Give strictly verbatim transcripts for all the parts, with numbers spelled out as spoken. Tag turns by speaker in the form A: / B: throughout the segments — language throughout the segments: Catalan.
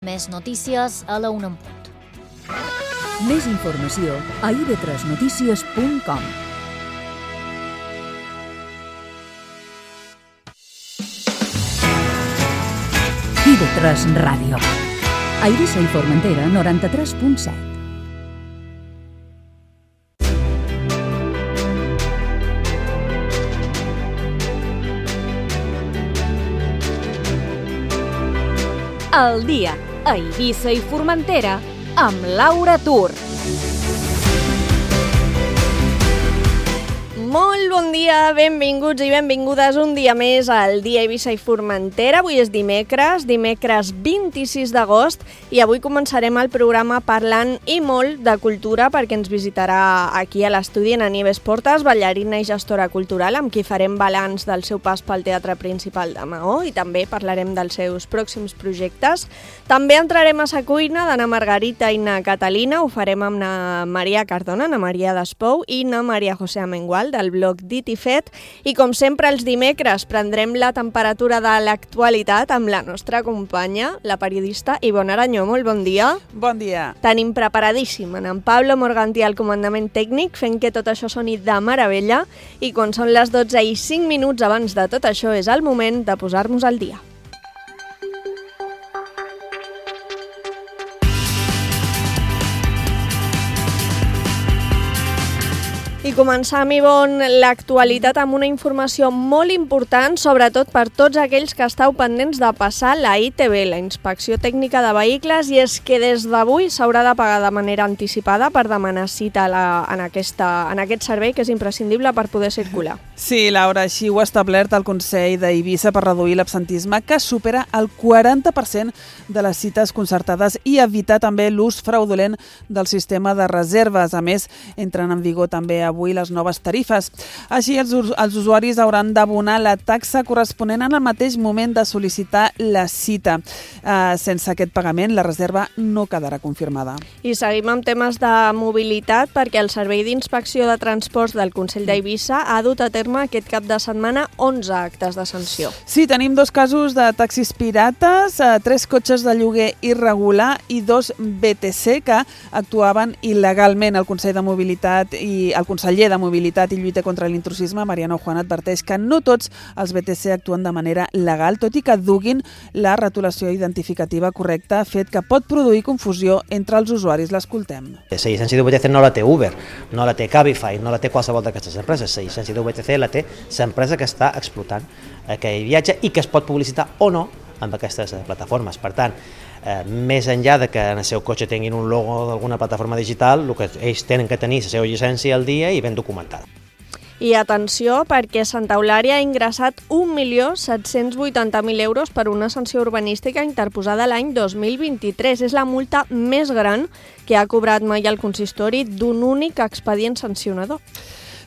A: Més notícies a la una en punt.
B: Més informació a i ve tres notícies punt com. i ve tres Ràdio. A Eivissa i Formentera, noranta-tres punt set.
C: El dia a Eivissa i Formentera amb Laura Tur. Molt bon dia, benvinguts i benvingudes un dia més al dia Eivissa i Formentera. Avui és dimecres, dimecres vint-i-sis d'agost, i avui començarem el programa parlant i molt de cultura perquè ens visitarà aquí a l'estudi en Nieves Portas, ballarina i gestora cultural, amb qui farem balanç del seu pas pel Teatre Principal de Maó i també parlarem dels seus pròxims projectes. També entrarem a sa cuina d'Anna Margarita i na Catalina, ho farem amb na Maria Cardona, na Maria Despou i na Maria José Amengual, del blog Dit i Fet, i com sempre els dimecres prendrem la temperatura de l'actualitat amb la nostra companya, la periodista Ivonne Aranyó. Molt bon dia.
D: Bon dia.
C: Tenim preparadíssim en Pablo Morgantí al comandament tècnic, fent que tot això soni de meravella, i quan són les dotze i cinc minuts abans de tot això és el moment de posar-nos al dia. I començam, Ivonne, l'actualitat amb una informació molt important, sobretot per tots aquells que estàu pendents de passar la I T B, la Inspecció Tècnica de Vehicles, i és que des d'avui s'haurà de pagar de manera anticipada per demanar cita a la, en, aquesta, en aquest servei, que és imprescindible per poder circular.
D: Sí, Laura, així ho ha establert el Consell d'Eivissa per reduir l'absentisme, que supera el quaranta per cent de les cites concertades, i evitar també l'ús fraudulent del sistema de reserves. A més, entren en vigor també avui les noves tarifes. Així, els, els usuaris hauran d'abonar la taxa corresponent en el mateix moment de sol·licitar la cita. Uh, sense aquest pagament, la reserva no quedarà confirmada.
C: I seguim amb temes de mobilitat, perquè el Servei d'Inspecció de Transports del Consell d'Eivissa ha dut a terme aquest cap de setmana onze actes de sanció.
D: Sí, tenim dos casos de taxis pirates, uh, tres cotxes de lloguer irregular i dos B T C que actuaven il·legalment. El Consell de Mobilitat i el conseller de Mobilitat i Lluita contra l'intrusisme, Mariano Juan, adverteix que no tots els B T C actuen de manera legal, tot i que duguin la retolació identificativa correcta, fet que pot produir confusió entre els usuaris. L'escoltem.
E: La llicència d'U B T C no la té Uber, no la té Cabify, no la té qualsevol d'aquestes empreses. La llicència d'U B T C la té l'empresa que està explotant aquell viatge i que es pot publicitar o no amb aquestes plataformes. Per tant, eh, més enllà de que en el seu cotxe tinguin un logo d'alguna plataforma digital, el que ells tenen que tenir la seva llicència al dia i ben documentada.
C: I atenció, perquè Santa Eulària ha ingressat un milió set-cents vuitanta mil euros per una sanció urbanística interposada l'any dos mil vint-i-tres. És la multa més gran que ha cobrat mai el consistori d'un únic expedient sancionador.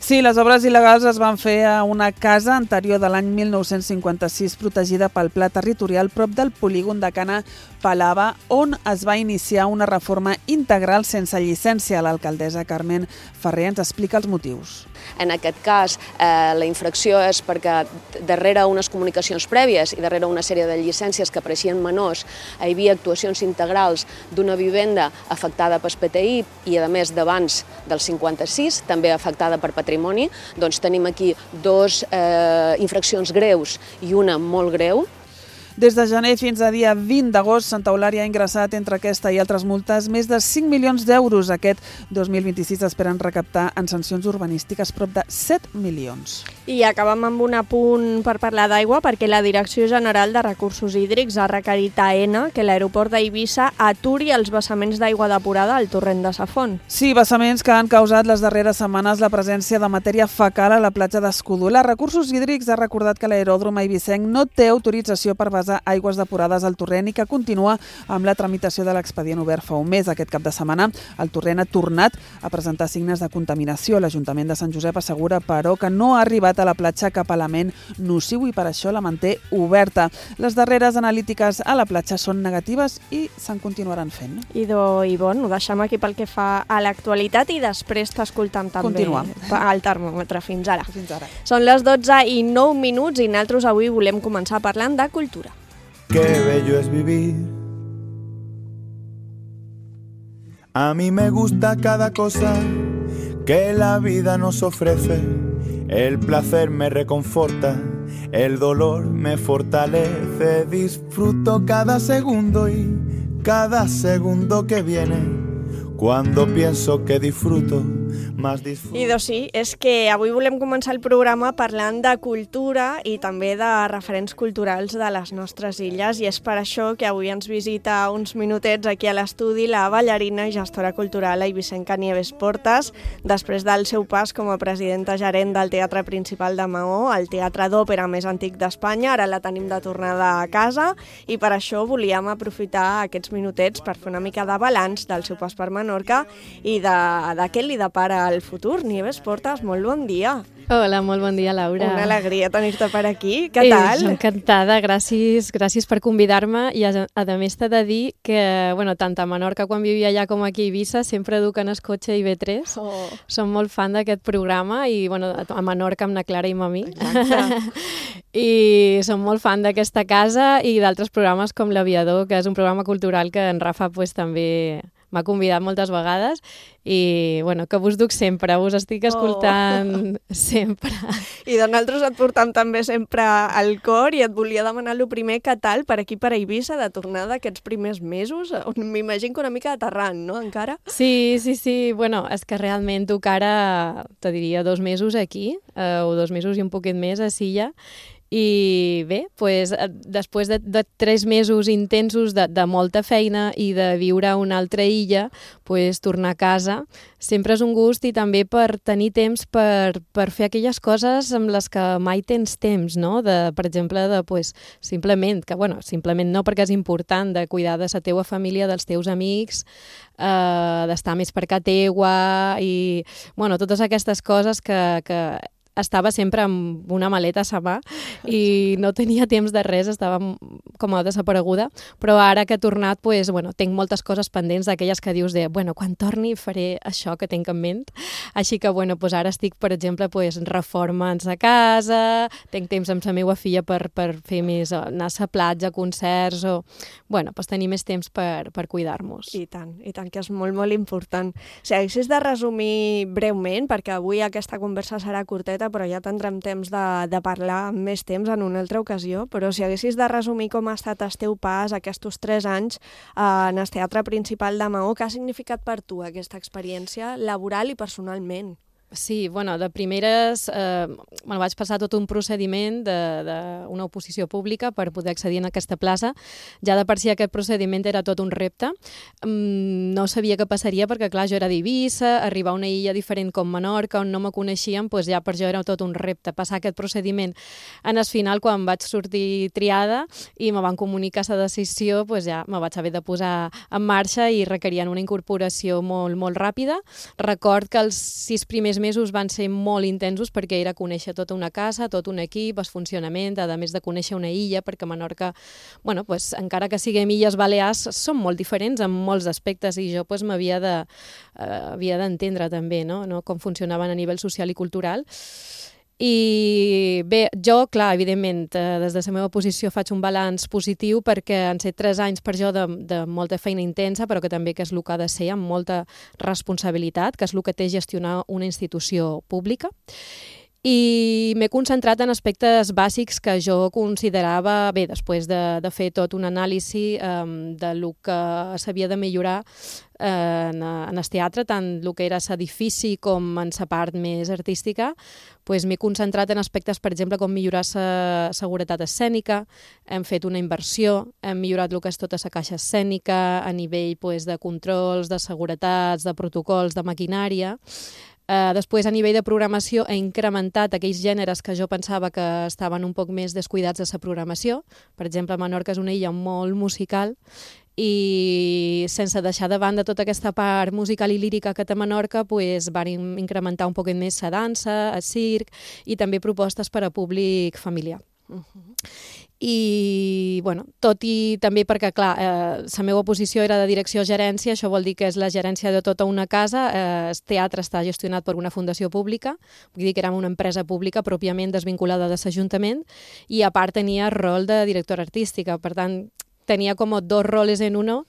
D: Sí, les obres il·legals es van fer a una casa anterior de l'any mil nou-cents cinquanta-sis protegida pel Pla Territorial prop del polígon de Cana Palava, on es va iniciar una reforma integral sense llicència. L'alcaldessa Carmen Ferrer ens explica els motius.
F: En aquest cas, eh, la infracció és perquè darrere unes comunicacions prèvies i darrere una sèrie de llicències que apareixien menors hi havia actuacions integrals d'una vivenda afectada per P T I i, a més, d'abans del cinquanta-sis, també afectada per patrimoni. Doncs tenim aquí dos eh, infraccions greus i una molt greu.
D: Des de gener fins a dia vint d'agost, Santa Eulària ha ingressat entre aquesta i altres multes més de cinc milions d'euros. Aquest dos mil vint-i-sis esperen recaptar en sancions urbanístiques prop de set milions.
C: I acabem amb un apunt per parlar d'aigua, perquè la Direcció General de Recursos Hídrics ha requerit a ENA que l'aeroport d'Eivissa aturi els vessaments d'aigua depurada al torrent de Sa Font.
D: Sí, vessaments que han causat les darreres setmanes la presència de matèria fecal a la platja d'Escudolà. Recursos Hídrics ha recordat que l'aeròdrom eivissenc no té autorització per vessar aigües depurades al torrent i que continua amb la tramitació de l'expedient obert fa un mes. Aquest cap de setmana el torrent ha tornat a presentar signes de contaminació. L'Ajuntament de Sant Josep assegura, però, que no ha arribat a la platja cap element nociu i per això la manté oberta. Les darreres analítiques a la platja són negatives i se'n continuaran fent.
C: Idò, Ivonne, ho deixem aquí pel que fa a l'actualitat i després t'escoltam també
D: Continuem.
C: al termòmetre. Fins ara.
D: Fins ara.
C: Són les dotze i nou minuts i nosaltres avui volem començar parlant de cultura.
G: Qué bello es vivir A mí me gusta cada cosa que la vida nos ofrece. El placer me reconforta, el dolor me fortalece. Disfruto cada segundo y cada segundo que viene. Cuando pienso que disfruto, más disfruto.
C: I doncs sí, és que avui volem començar el programa parlant de cultura i també de referents culturals de les nostres illes, i és per això que avui ens visita uns minutets aquí a l'estudi la ballarina i gestora cultural Eivissenca Nieves Portas, després del seu pas com a presidenta gerent del Teatre Principal de Maó, el teatre d'òpera més antic d'Espanya. Ara la tenim de tornada a casa i per això volíem aprofitar aquests minutets per fer una mica de balanç del seu pas per Menorca i de, de què li depara el futur. Nieves Portas, molt bon dia.
H: Hola, molt bon dia, Laura.
C: Una alegria tenir-te per aquí. Què tal?
H: Eh, encantada, gràcies, gràcies per convidar-me i a, a més t'he de dir que, bueno, tant a Menorca quan vivia allà com aquí a Eivissa sempre duquen el cotxe i ve tres. Oh. Som molt fan d'aquest programa i, bueno, a Menorca amb na Clara i amb mi. I som molt fan d'aquesta casa i d'altres programes com l'Aviador, que és un programa cultural que en Rafa pues, també m'ha convidat moltes vegades i bueno, que vos duc sempre, vos estic escoltant oh. sempre.
C: I de nosaltres et portam també sempre al cor i et volia demanar el primer, què tal per aquí per Eivissa de tornar d'aquests primers mesos? M'imagino que una mica aterrant, no, encara?
H: Sí, sí, sí, bueno, és que realment duc ara, te diria, dos mesos aquí, eh, o dos mesos i un poquet més a Silla. I bé, pues, després de, de tres mesos intensos de, de molta feina i de viure a una altra illa, pues, tornar a casa sempre és un gust i també per tenir temps per, per fer aquelles coses amb les que mai tens temps, no? De, per exemple, de, pues, simplement, que bueno, simplement no perquè és important, de cuidar de la teua família, dels teus amics, eh, d'estar més per casa teua i bueno, totes aquestes coses que, que estava sempre amb una maleta a la mà i no tenia temps de res, estava com a desapareguda, però ara que he tornat, pues, bueno, tinc moltes coses pendents d'aquelles que dius de, bueno, quan torni faré això que tinc en ment. Així que, bueno, pues ara estic, per exemple, pues, reformant a casa, tinc temps amb la meva filla per, per fer més, anar a la platja, concerts, o, bueno, pues tenir més temps per, per cuidar-nos.
C: I tant, i tant, que és molt, molt important. Si haguessis de resumir breument, perquè avui aquesta conversa serà curteta, però ja tindrem temps de, de parlar més temps en una altra ocasió, però si haguessis de resumir com ha estat el teu pas aquests tres anys eh, en el Teatre Principal de Maó, què ha significat per tu aquesta experiència laboral i personalment?
H: Sí, bueno, de primeres eh, bueno, vaig passar tot un procediment d'una oposició pública per poder accedir a aquesta plaça. Ja de per si aquest procediment era tot un repte. Mm, no sabia què passaria perquè, clar, jo era d'Eivissa, arribar a una illa diferent com Menorca, on no me coneixien, doncs ja per jo era tot un repte. Passar aquest procediment. En el final, quan vaig sortir triada i me van comunicar la decisió, doncs ja me vaig haver de posar en marxa i requerien una incorporació molt, molt ràpida. Record que els sis primers mesos van ser molt intensos perquè era conèixer tota una casa, tot un equip, el funcionament, a més de conèixer una illa, perquè Menorca, bueno, pues, encara que siguem illes balears, són molt diferents en molts aspectes i jo pues, m'havia de, eh, havia d'entendre també no? No? Com funcionaven a nivell social i cultural. I bé, jo, clar, evidentment, eh, des de la meva posició faig un balanç positiu perquè han set tres anys per jo de, de molta feina intensa, però que també que és el que ha de ser, amb molta responsabilitat, que és el que té gestionar una institució pública. I m'he concentrat en aspectes bàsics que jo considerava, bé, després de, de fer tot un anàlisi eh, de lo que s'havia de millorar eh, en, en el teatre, tant el que era l'edifici com en la part més artística, pues m'he concentrat en aspectes, per exemple, com millorar la seguretat escènica, hem fet una inversió, hem millorat el que és tota la caixa escènica a nivell pues, de controls, de seguretats, de protocols, de maquinària. Uh, després, a nivell de programació, he incrementat aquells gèneres que jo pensava que estaven un poc més descuidats de la programació. Per exemple, Menorca és una illa molt musical i sense deixar de banda tota aquesta part musical i lírica que té Menorca, pues, van incrementar un poquet més la dansa, el circ i també propostes per a públic familiar. Uh-huh. I, bueno, tot i també perquè, clar, eh, la meva posició era de direcció-gerència, això vol dir que és la gerència de tota una casa, eh, el teatre està gestionat per una fundació pública, vull dir que era una empresa pública pròpiament desvinculada de l'Ajuntament, i a part tenia el rol de directora artística, per tant, tenia com dos roles en uno,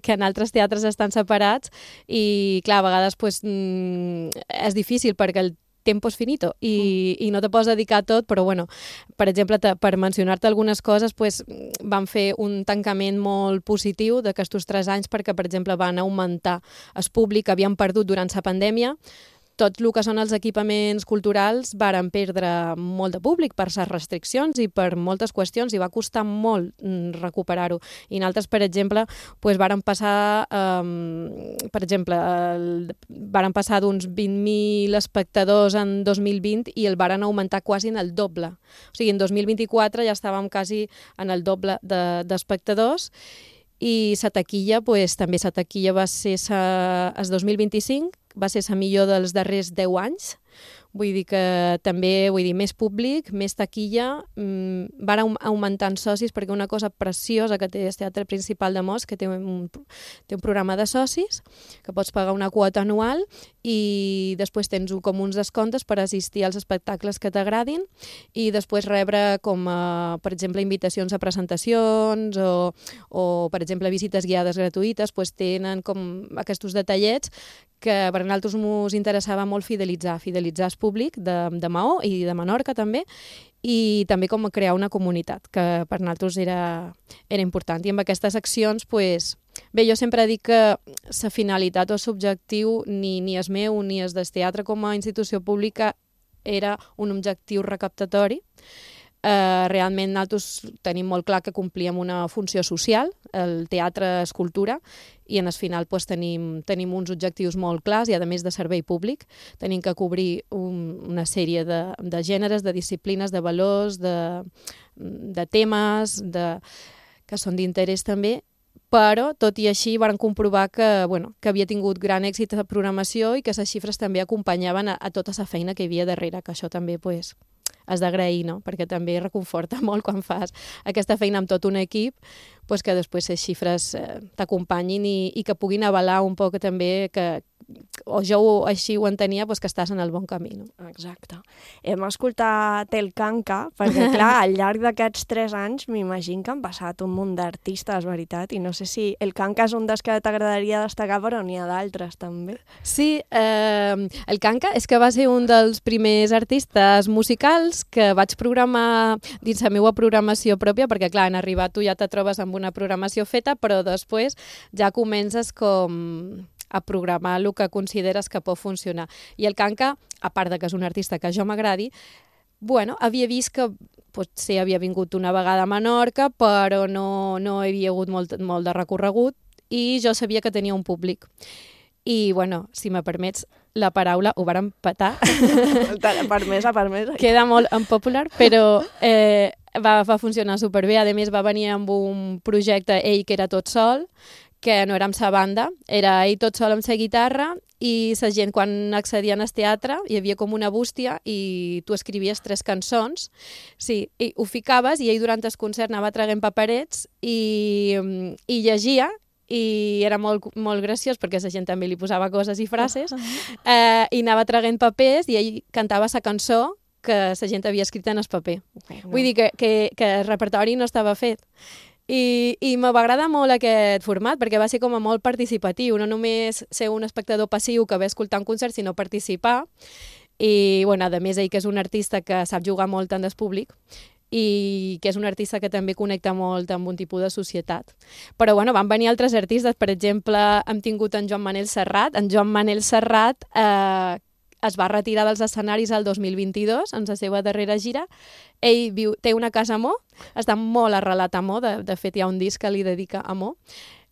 H: que en altres teatres estan separats, i clar, a vegades pues, mm, és difícil perquè el tempo és finito i, i no te pots dedicar a tot, però bueno, per exemple, te, per mencionar-te algunes coses, pues, van fer un tancament molt positiu d'aquests tres anys perquè, per exemple, van augmentar el públic que havien perdut durant la pandèmia. Tot el que són els equipaments culturals varen perdre molt de públic per les restriccions i per moltes qüestions i va costar molt recuperar-ho. I nosaltres, per exemple, pues, varen passar, um, per exemple, el, varen passar d'uns vint mil espectadors en dos mil vint i el varen augmentar quasi en el doble. O sigui, en dos mil vint-i-quatre ja estàvem quasi en el doble d'espectadors de, i la taquilla, pues, també la taquilla va ser sa, el dos mil vint-i-cinc, va ser la millor dels darrers deu anys. Vull dir que també, vull dir, més públic, més taquilla, mmm, van augmentant socis, perquè una cosa preciosa que té el Teatre Principal de Mos, que té un, té un programa de socis, que pots pagar una quota anual i després tens com uns descomptes per assistir als espectacles que t'agradin i després rebre com, a, per exemple, invitacions a presentacions o, o per exemple, visites guiades gratuïtes, doncs tenen com aquests detallets que per nosaltres ens interessava molt fidelitzar, fidelitzar el públic de, de Maó i de Menorca també, i també com crear una comunitat, que per nosaltres era, era important. I amb aquestes accions, pues, bé, jo sempre dic que la finalitat o l'objectiu ni, ni és meu ni és del teatre com a institució pública era un objectiu recaptatori. Uh, realment nosaltres tenim molt clar que complíem una funció social, el teatre és cultura, i en el final pues, tenim, tenim uns objectius molt clars i a més de servei públic. Tenim que cobrir un, una sèrie de, de gèneres, de disciplines, de valors, de, de temes de, que són d'interès també, però tot i així van comprovar que, bueno, que havia tingut gran èxit la programació i que les xifres també acompanyaven a, a tota la feina que hi havia darrere, que això també pues, has d'agrair, no? Perquè també reconforta molt quan fas aquesta feina amb tot un equip, pues que després les xifres eh, t'acompanyin i, i que puguin avalar un poc també que, o jo ho, així ho entenia, pues que estàs en el bon camí. No?
C: Exacte. Hem escoltat el Canca, perquè clar, al llarg d'aquests tres anys m'imagino que han passat un munt d'artistes, veritat, i no sé si el Canca és un dels que t'agradaria destacar, però n'hi ha d'altres també.
H: Sí, eh, el Canca és que va ser un dels primers artistes musicals que vaig programar dins la meva programació pròpia, perquè clar, en arribar tu ja te trobes amb una programació feta, però després ja comences com a programar el que consideres que pot funcionar. I el Canca, a part de que és un artista que jo m'agradi, bueno, havia vist que potser havia vingut una vegada a Menorca, però no, no hi havia hagut molt, molt de recorregut i jo sabia que tenia un públic. I, bueno, si me permets la paraula, ho varen petar.
C: Permesa, permesa.
H: Queda molt unpopular, però eh, va, va funcionar superbé. A més, va venir amb un projecte, ell que era tot sol, que no era amb sa banda, era ell tot sol amb sa guitarra i la gent quan accedien al teatre hi havia com una bústia i tu escrivies tres cançons, sí, i ho ficaves i ell durant el concert anava traient paperets i, i llegia i era molt, molt graciós perquè la gent també li posava coses i frases eh, i anava traient papers i ell cantava la cançó que la gent havia escrit en el paper. Bueno. Vull dir que, que, que el repertori no estava fet. I, i me va agradar molt aquest format perquè va ser com a molt participatiu, no només ser un espectador passiu que ve a escoltar un concert, sinó participar. I, bueno, a més, ell que és un artista que sap jugar molt amb el públic i que és un artista que també connecta molt amb un tipus de societat. Però, bueno, van venir altres artistes, per exemple, hem tingut en Joan Manel Serrat. En Joan Manel Serrat eh, es va retirar dels escenaris el dos mil vint-i-dos, en la seva darrera gira. Ell viu, té una casa a Mo, està molt arrelat a Mo, de, de fet hi ha un disc que li dedica a Mo,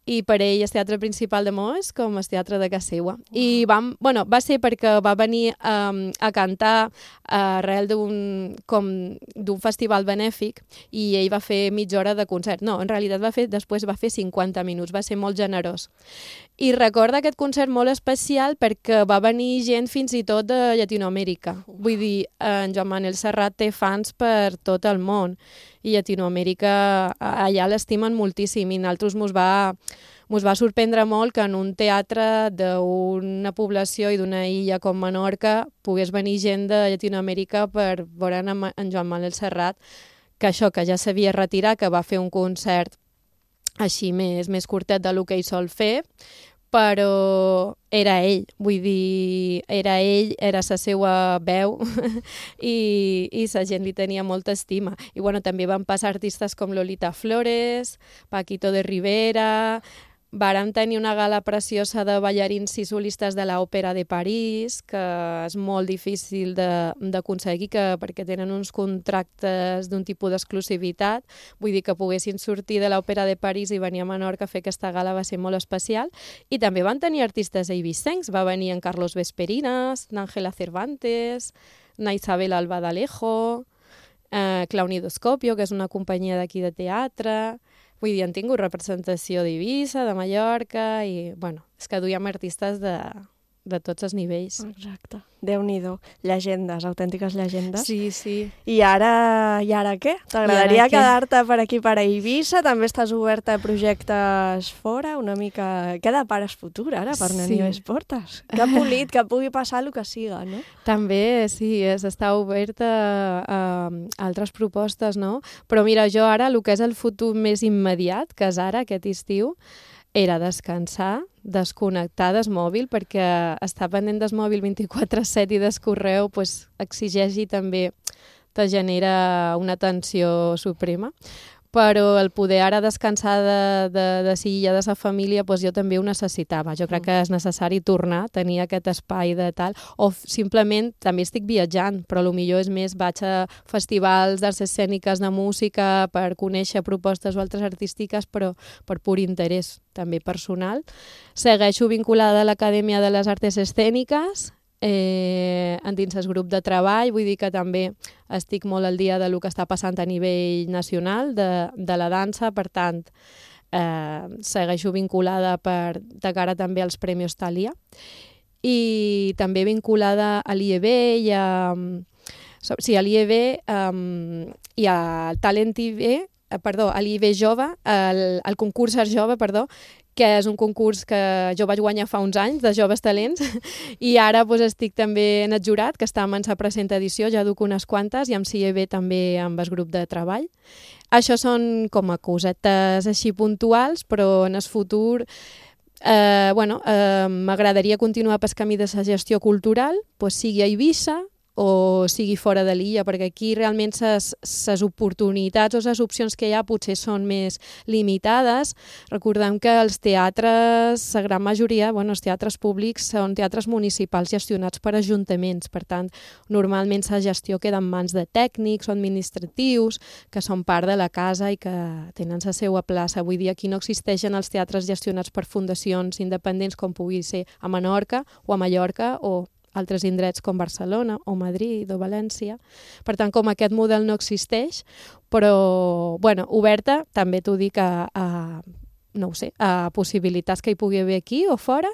H: i per ell el teatre principal de Mo és com el teatre de casa seva. Wow. I vam, bueno, va ser perquè va venir um, a cantar arrel d'un com d'un festival benèfic i ell va fer mitja hora de concert. No, en realitat va fer, després va fer cinquanta minuts, va ser molt generós. I recorda aquest concert molt especial perquè va venir gent fins i tot de Llatinoamèrica. Vull dir, en Joan Manel Serrat té fans per tot el món i Llatinoamèrica allà l'estimen moltíssim i nosaltres mos va, mos va sorprendre molt que en un teatre d'una població i d'una illa com Menorca pogués venir gent de Llatinoamèrica per veure en Joan Manel Serrat, que això, que ja s'havia retirat, que va fer un concert així més, més curtet de lo que ell sol fer, però era ell, vull dir, era ell, era la seva veu i, i la gent li tenia molta estima. I bueno, també van passar artistes com Lolita Flores, Paquito de Rivera. Vàrem tenir una gala preciosa de ballarins i solistes de l'Òpera de París, que és molt difícil d'aconseguir perquè tenen uns contractes d'un tipus d'exclusivitat. Vull dir que poguessin sortir de l'Òpera de París i venir a Menorca a fer aquesta gala va ser molt especial. I també van tenir artistes eivissencs. Va venir en Carlos Vesperinas, n'Àngela Cervantes, na Isabel Alba d'Alejo, eh, Clownidoscopio, que és una companyia d'aquí de teatre. Vull dir, han tingut representació d'Eivissa, de Mallorca, i, bueno, és que duíem artistes de, de tots els nivells.
C: Exacte. Déu-n'hi-do. Llegendes, autèntiques llegendes.
H: Sí, sí.
C: I ara, i ara què? T'agradaria quedar-te per aquí, per a Eivissa? També estàs oberta a projectes fora? Una mica... Què depares futur, ara, per
H: Sí.
C: Nanives Portes? Que polit, que pugui passar el que siga, no?
H: També, sí, és estar oberta a, a altres propostes, no? Però mira, jo ara, el que és el futur més immediat, que és ara, aquest estiu, era descansar, desconnectar del mòbil, perquè estar pendent del mòbil vint-i-quatre set i del correu pues, exigeix i també te genera una tensió suprema. Però el poder ara descansar de, de, de si ja de sa família, pues jo també ho necessitava. Jo crec que és necessari tornar a tenir aquest espai de tal, o simplement també estic viatjant, però potser és més vaig a festivals d'arts escèniques de música per conèixer propostes o altres artístiques, però per pur interès també personal. Segueixo vinculada a l'Acadèmia de les Arts Escèniques, Eh, dins el grup de treball, vull dir que també estic molt al dia de lo que està passant a nivell nacional de, de la dansa, per tant, eh, segueixo vinculada per, de cara també als Premis Thalia, i també vinculada a l'I E B i a, sí, a l'I E B um, i al Talent I B, eh, perdó, a l'I E B Jove, al, al concurs Art Jove, perdó, que és un concurs que jo vaig guanyar fa uns anys, de Joves Talents, i ara doncs, estic també en el jurat, que està en la present edició, ja duc unes quantes, i amb C I E B també amb el grup de treball. Això són com a cosetes així puntuals, però en el futur eh, bueno, eh, m'agradaria continuar pel camí de la gestió cultural, doncs, sigui a Eivissa, o sigui fora de l'illa, perquè aquí realment les oportunitats o les opcions que hi ha potser són més limitades. Recordem que els teatres, la gran majoria, bueno, els teatres públics són teatres municipals gestionats per ajuntaments, per tant, normalment la gestió queda en mans de tècnics o administratius que són part de la casa i que tenen la seva plaça. Vull dir, aquí no existeixen els teatres gestionats per fundacions independents com pugui ser a Menorca o a Mallorca o altres indrets com Barcelona o Madrid o València. Per tant, com aquest model no existeix, però, bueno, oberta, també t'ho dic a, a, no ho sé, a possibilitats que hi pugui haver aquí o fora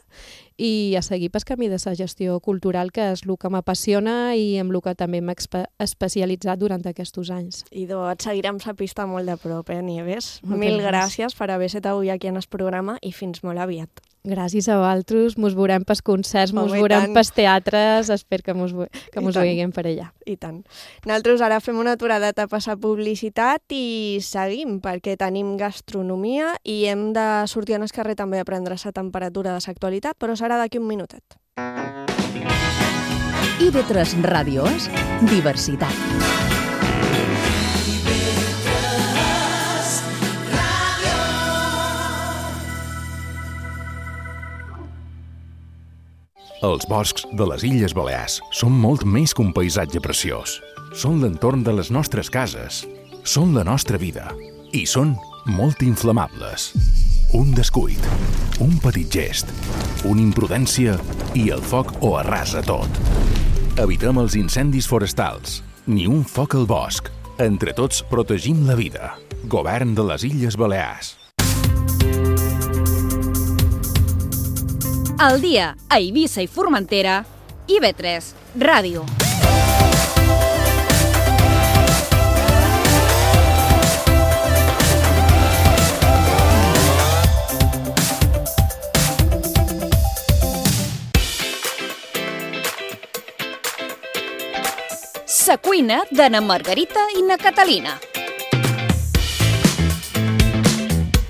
H: i a seguir pel camí de la gestió cultural, que és el que m'apassiona i amb el que també m'he especialitzat durant aquests anys.
C: Idò, et seguirem la pista molt de prop, eh, Nieves?
H: Moltes
C: Mil
H: gràcies.
C: gràcies per haver estat avui aquí en el programa i fins molt aviat.
H: Gràcies a vosaltres, mos veurem pels concerts, mos
C: Home, i
H: veurem
C: tant.
H: pels teatres, espero que mos, que
C: I
H: mos
C: tant.
H: veiem per allà.
C: I tant. Nosaltres ara fem una aturada a passar publicitat i seguim, perquè tenim gastronomia i hem de sortir en el carrer també a prendre la temperatura de l'actualitat, però serà d'aquí un minutet.
B: I V tres Ràdio és diversitat.
I: Els boscs de les Illes Balears són molt més que un paisatge preciós. Són l'entorn de les nostres cases, són la nostra vida i són molt inflamables. Un descuit, un petit gest, una imprudència i el foc ho arrasa tot. Evitem els incendis forestals, ni un foc al bosc. Entre tots protegim la vida. Govern de les Illes Balears.
B: Al dia, a Eivissa i Formentera, I V tres Ràdio. Sa cuina de na Margarita i na Catalina.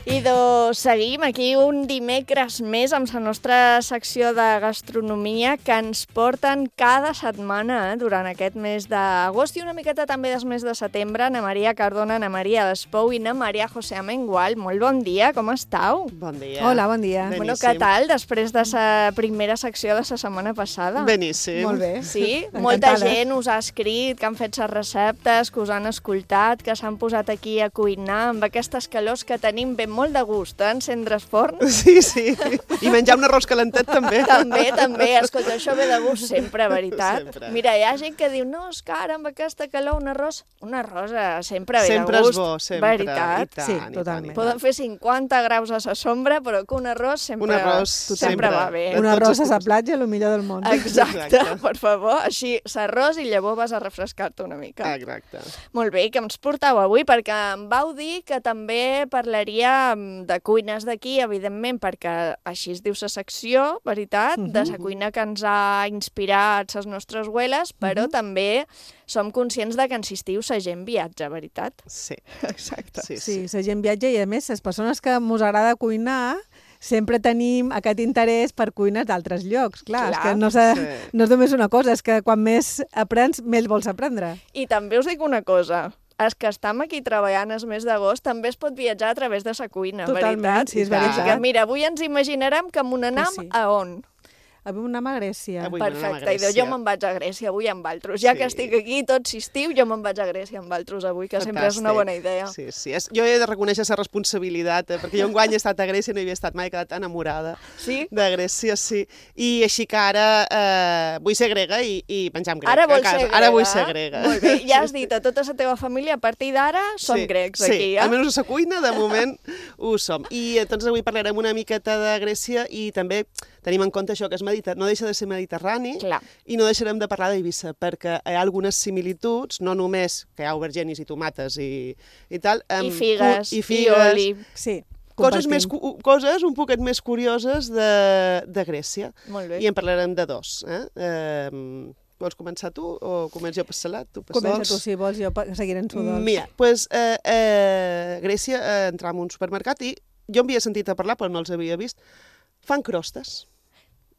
C: Idò, Però seguim aquí un dimecres més amb la nostra secció de gastronomia que ens porten cada setmana eh, durant aquest mes d'agost i una miqueta també del mes de setembre. Ana Maria Cardona, Ana Maria Despou i Ana Maria José Amengual. Molt bon dia, com estàu?
J: Bon dia.
K: Hola, bon dia.
J: Beníssim.
C: Bueno, què tal després de la primera secció de la setmana passada?
J: Beníssim.
K: Molt bé.
C: Sí? Molta gent us ha escrit, que han fet les receptes, que us han escoltat, que s'han posat aquí a cuinar amb aquestes calors que tenim ben molt de gust, eh? Encendre's forn.
J: Sí, sí. I menjar un arròs calentet també.
C: També, també. Escolta, això ve de gust sempre, veritat.
J: Sempre.
C: Mira, hi ha gent que diu, no, és que ara amb aquesta calor un arròs, un arròs eh, sempre ve
J: Sempre
C: de
J: és
C: gust.
J: bo, sempre.
C: Veritat.
J: I tant,
K: Sí,
J: i tant,
K: totalment.
J: i tant.
C: Poden fer cinquanta graus a la sombra, però que un arròs sempre,
J: Un arròs
C: sempre,
J: sempre.
C: va bé.
J: De
K: Un
J: tots
K: arròs
J: els
K: a la
J: tipus.
K: platja, el millor del món.
C: Exacte,
J: Exacte.
C: per favor. Així, s'arròs i llavors vas a refrescar-te una mica.
J: Exacte.
C: Molt bé, que ens portau avui? Perquè em vau dir que també parlaria mm, de cuines d'aquí, evidentment, perquè així es diu la secció, veritat,
K: Mhm.
C: de la cuina que ens ha inspirat les nostres abueles, però també som conscients de que en estiu la gent viatja, veritat?
J: Sí.
C: Exacte.
J: Sí,
K: Sí,
J: sí.
K: la gent viatja i, a més, les persones que mos agrada cuinar sempre tenim aquest interès per cuines d'altres llocs. Clar,
C: Clar,
K: és que no, s'ha-
J: sí.
K: no és només una cosa, és que quan més aprens, més vols aprendre.
C: I també us dic una cosa, els que estem aquí treballant el mes d'agost també es pot viatjar a través de la cuina,
K: Totalment,
C: veritat?
K: sí, és
J: I tant.
K: veritat.
C: Que, mira, avui ens imaginarem que m'on anam
K: sí.
C: a on?
K: Avui anem a Grècia.
J: Avui anem a
C: Perfecte, i
J: Grècia.
C: jo me'n vaig a Grècia avui amb altres. Ja
J: Sí.
C: que estic aquí tot estiu, jo me'n vaig a Grècia amb altres avui, que sempre és una
J: Fantàstic.
C: bona idea.
J: Sí, sí. És, jo he de reconèixer la responsabilitat, eh, perquè jo enguany he estat a Grècia i no hi havia estat mai, he quedat enamorada
C: Sí?
J: de Grècia, sí. I així que ara eh, vull ser grega i, i menjar amb grec
C: Ara
J: a
C: vols
J: casa.
C: ser grega?
J: Ara vull ser grega.
C: Molt bé, ja has dit a tota la teva família, a partir d'ara són
J: sí,
C: grecs
J: sí,
C: aquí, eh?
J: almenys a la cuina, de moment, ho som. I doncs avui parlarem una miqueta de Grècia i també tenim en compte això que és mediter... no deixa de ser mediterrani.
C: Clar.
J: I no deixarem de parlar d'Eivissa, perquè hi ha algunes similituds, no només que hi ha aubergenis i tomates i, i tal.
C: I
J: amb
C: figues,
J: cu-
C: i,
J: i, figues,
C: oli.
K: Sí,
J: coses,
K: compartim.
J: més, cu- coses un poquet més curioses de, de Grècia.
C: Molt bé.
J: I en parlarem de dos. Eh? Eh, vols començar tu o començo jo per salat? Tu per
K: Comença
J: dolç?
K: tu, si vols, jo pa- seguiré en su dolç.
J: Mira, doncs eh, eh, Grècia, eh, entram a un supermercat i jo em havia sentit a parlar, però no els havia vist. Fan crostes.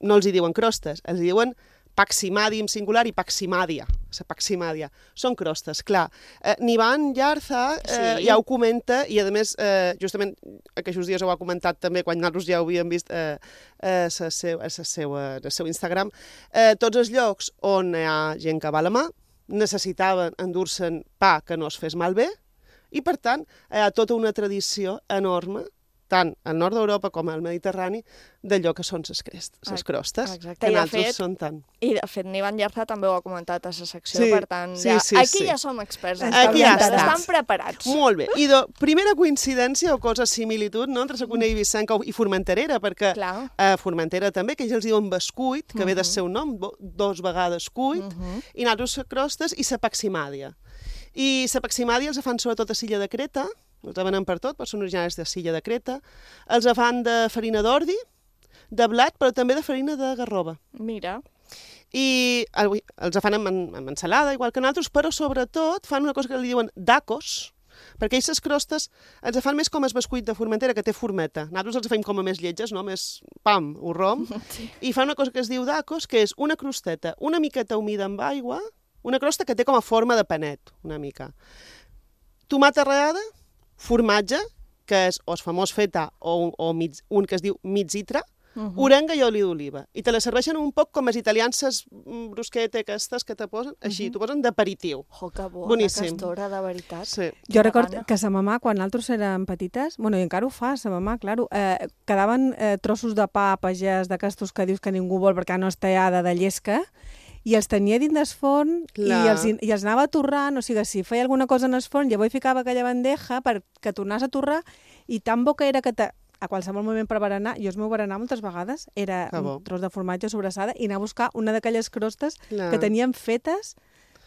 J: No els hi diuen crostes, els hi diuen paximadi en singular i paximàdia. La paximàdia. Són crostes, clar. Eh, Nivan Yarza eh,
C: Sí.
J: ja ho comenta i, a més, eh, justament aquests dies ho ha comentat també quan nosaltres ja ho havíem vist eh, eh, sa seu, a sa seva, el seu Instagram. Eh, tots els llocs on hi ha gent que va a la mà necessitaven endur-se'n pa que no es fes malbé i, per tant, hi ha tota una tradició enorme tant al nord d'Europa com al Mediterrani, d'allò que són les crostes,
C: Exacte.
J: que
C: I, de
J: nosaltres
C: fet,
J: són tant.
C: I, de fet, Nivan Yarza també ho ha comentat a la secció,
J: Sí,
C: per tant,
J: sí,
C: ja,
J: sí,
C: aquí
J: sí.
C: ja som experts. en
J: Aquí ja
C: parlar,
J: està.
C: Estan preparats.
J: Molt bé. I de primera coincidència o cosa similitud no, entre la cuina eivissenca i formenterera, perquè
C: Clar.
J: a Formentera també, que ells els diuen bescuit, que ve del seu nom, bo- dos vegades cuit, i nosaltres la crostes i la paximàdia. I la paximàdia els fan sobretot a Silla de Creta, els venen per tot, però són originaris de Silla de Creta, els fan de farina d'ordi, de blat, però també de farina de garrova.
C: Mira.
J: I el- els fan amb, amb ensalada, igual que nosaltres, però sobretot fan una cosa que li diuen dacos, perquè aquestes crostes ens fan més com el bescuit de Formentera, que té formeta. Nosaltres els fem com a més lletges, no? Més pam, o rom. Sí. I fan una cosa que es diu dacos, que és una crosteta una miqueta humida amb aigua, una crosta que té com a forma de panet, una mica. Tomata rallada, formatge, que és o el famós feta o, un, o mig, un que es diu mitzitra, Uh -huh. orenga i oli d'oliva. I te la serveixen un poc com els italians, les brusquete aquestes que te posen, així, uh -huh. t'ho posen d'aperitiu.
C: Oh, que bona
J: Boníssim.
C: castora, de veritat.
J: Sí.
K: Jo recordo que sa mamà, quan nosaltres érem petites, bueno, i encara ho fa, sa mamà, claro, eh, quedaven eh, trossos de pa pagès d'aquestos que dius que ningú vol perquè no és tallada de llesca, i els tenia dins del forn i els, i els anava torrant, o sigui, si feia alguna cosa en el forn, llavors hi ficava aquella bandeja perquè tornàs a torrar, i tan bo que era que te, a qualsevol moment per berenar, jo el meu berenar moltes vegades era
J: Que bo.
K: un tros de formatge sobrassada i anar a buscar una d'aquelles crostes
J: Clar.
K: que tenien fetes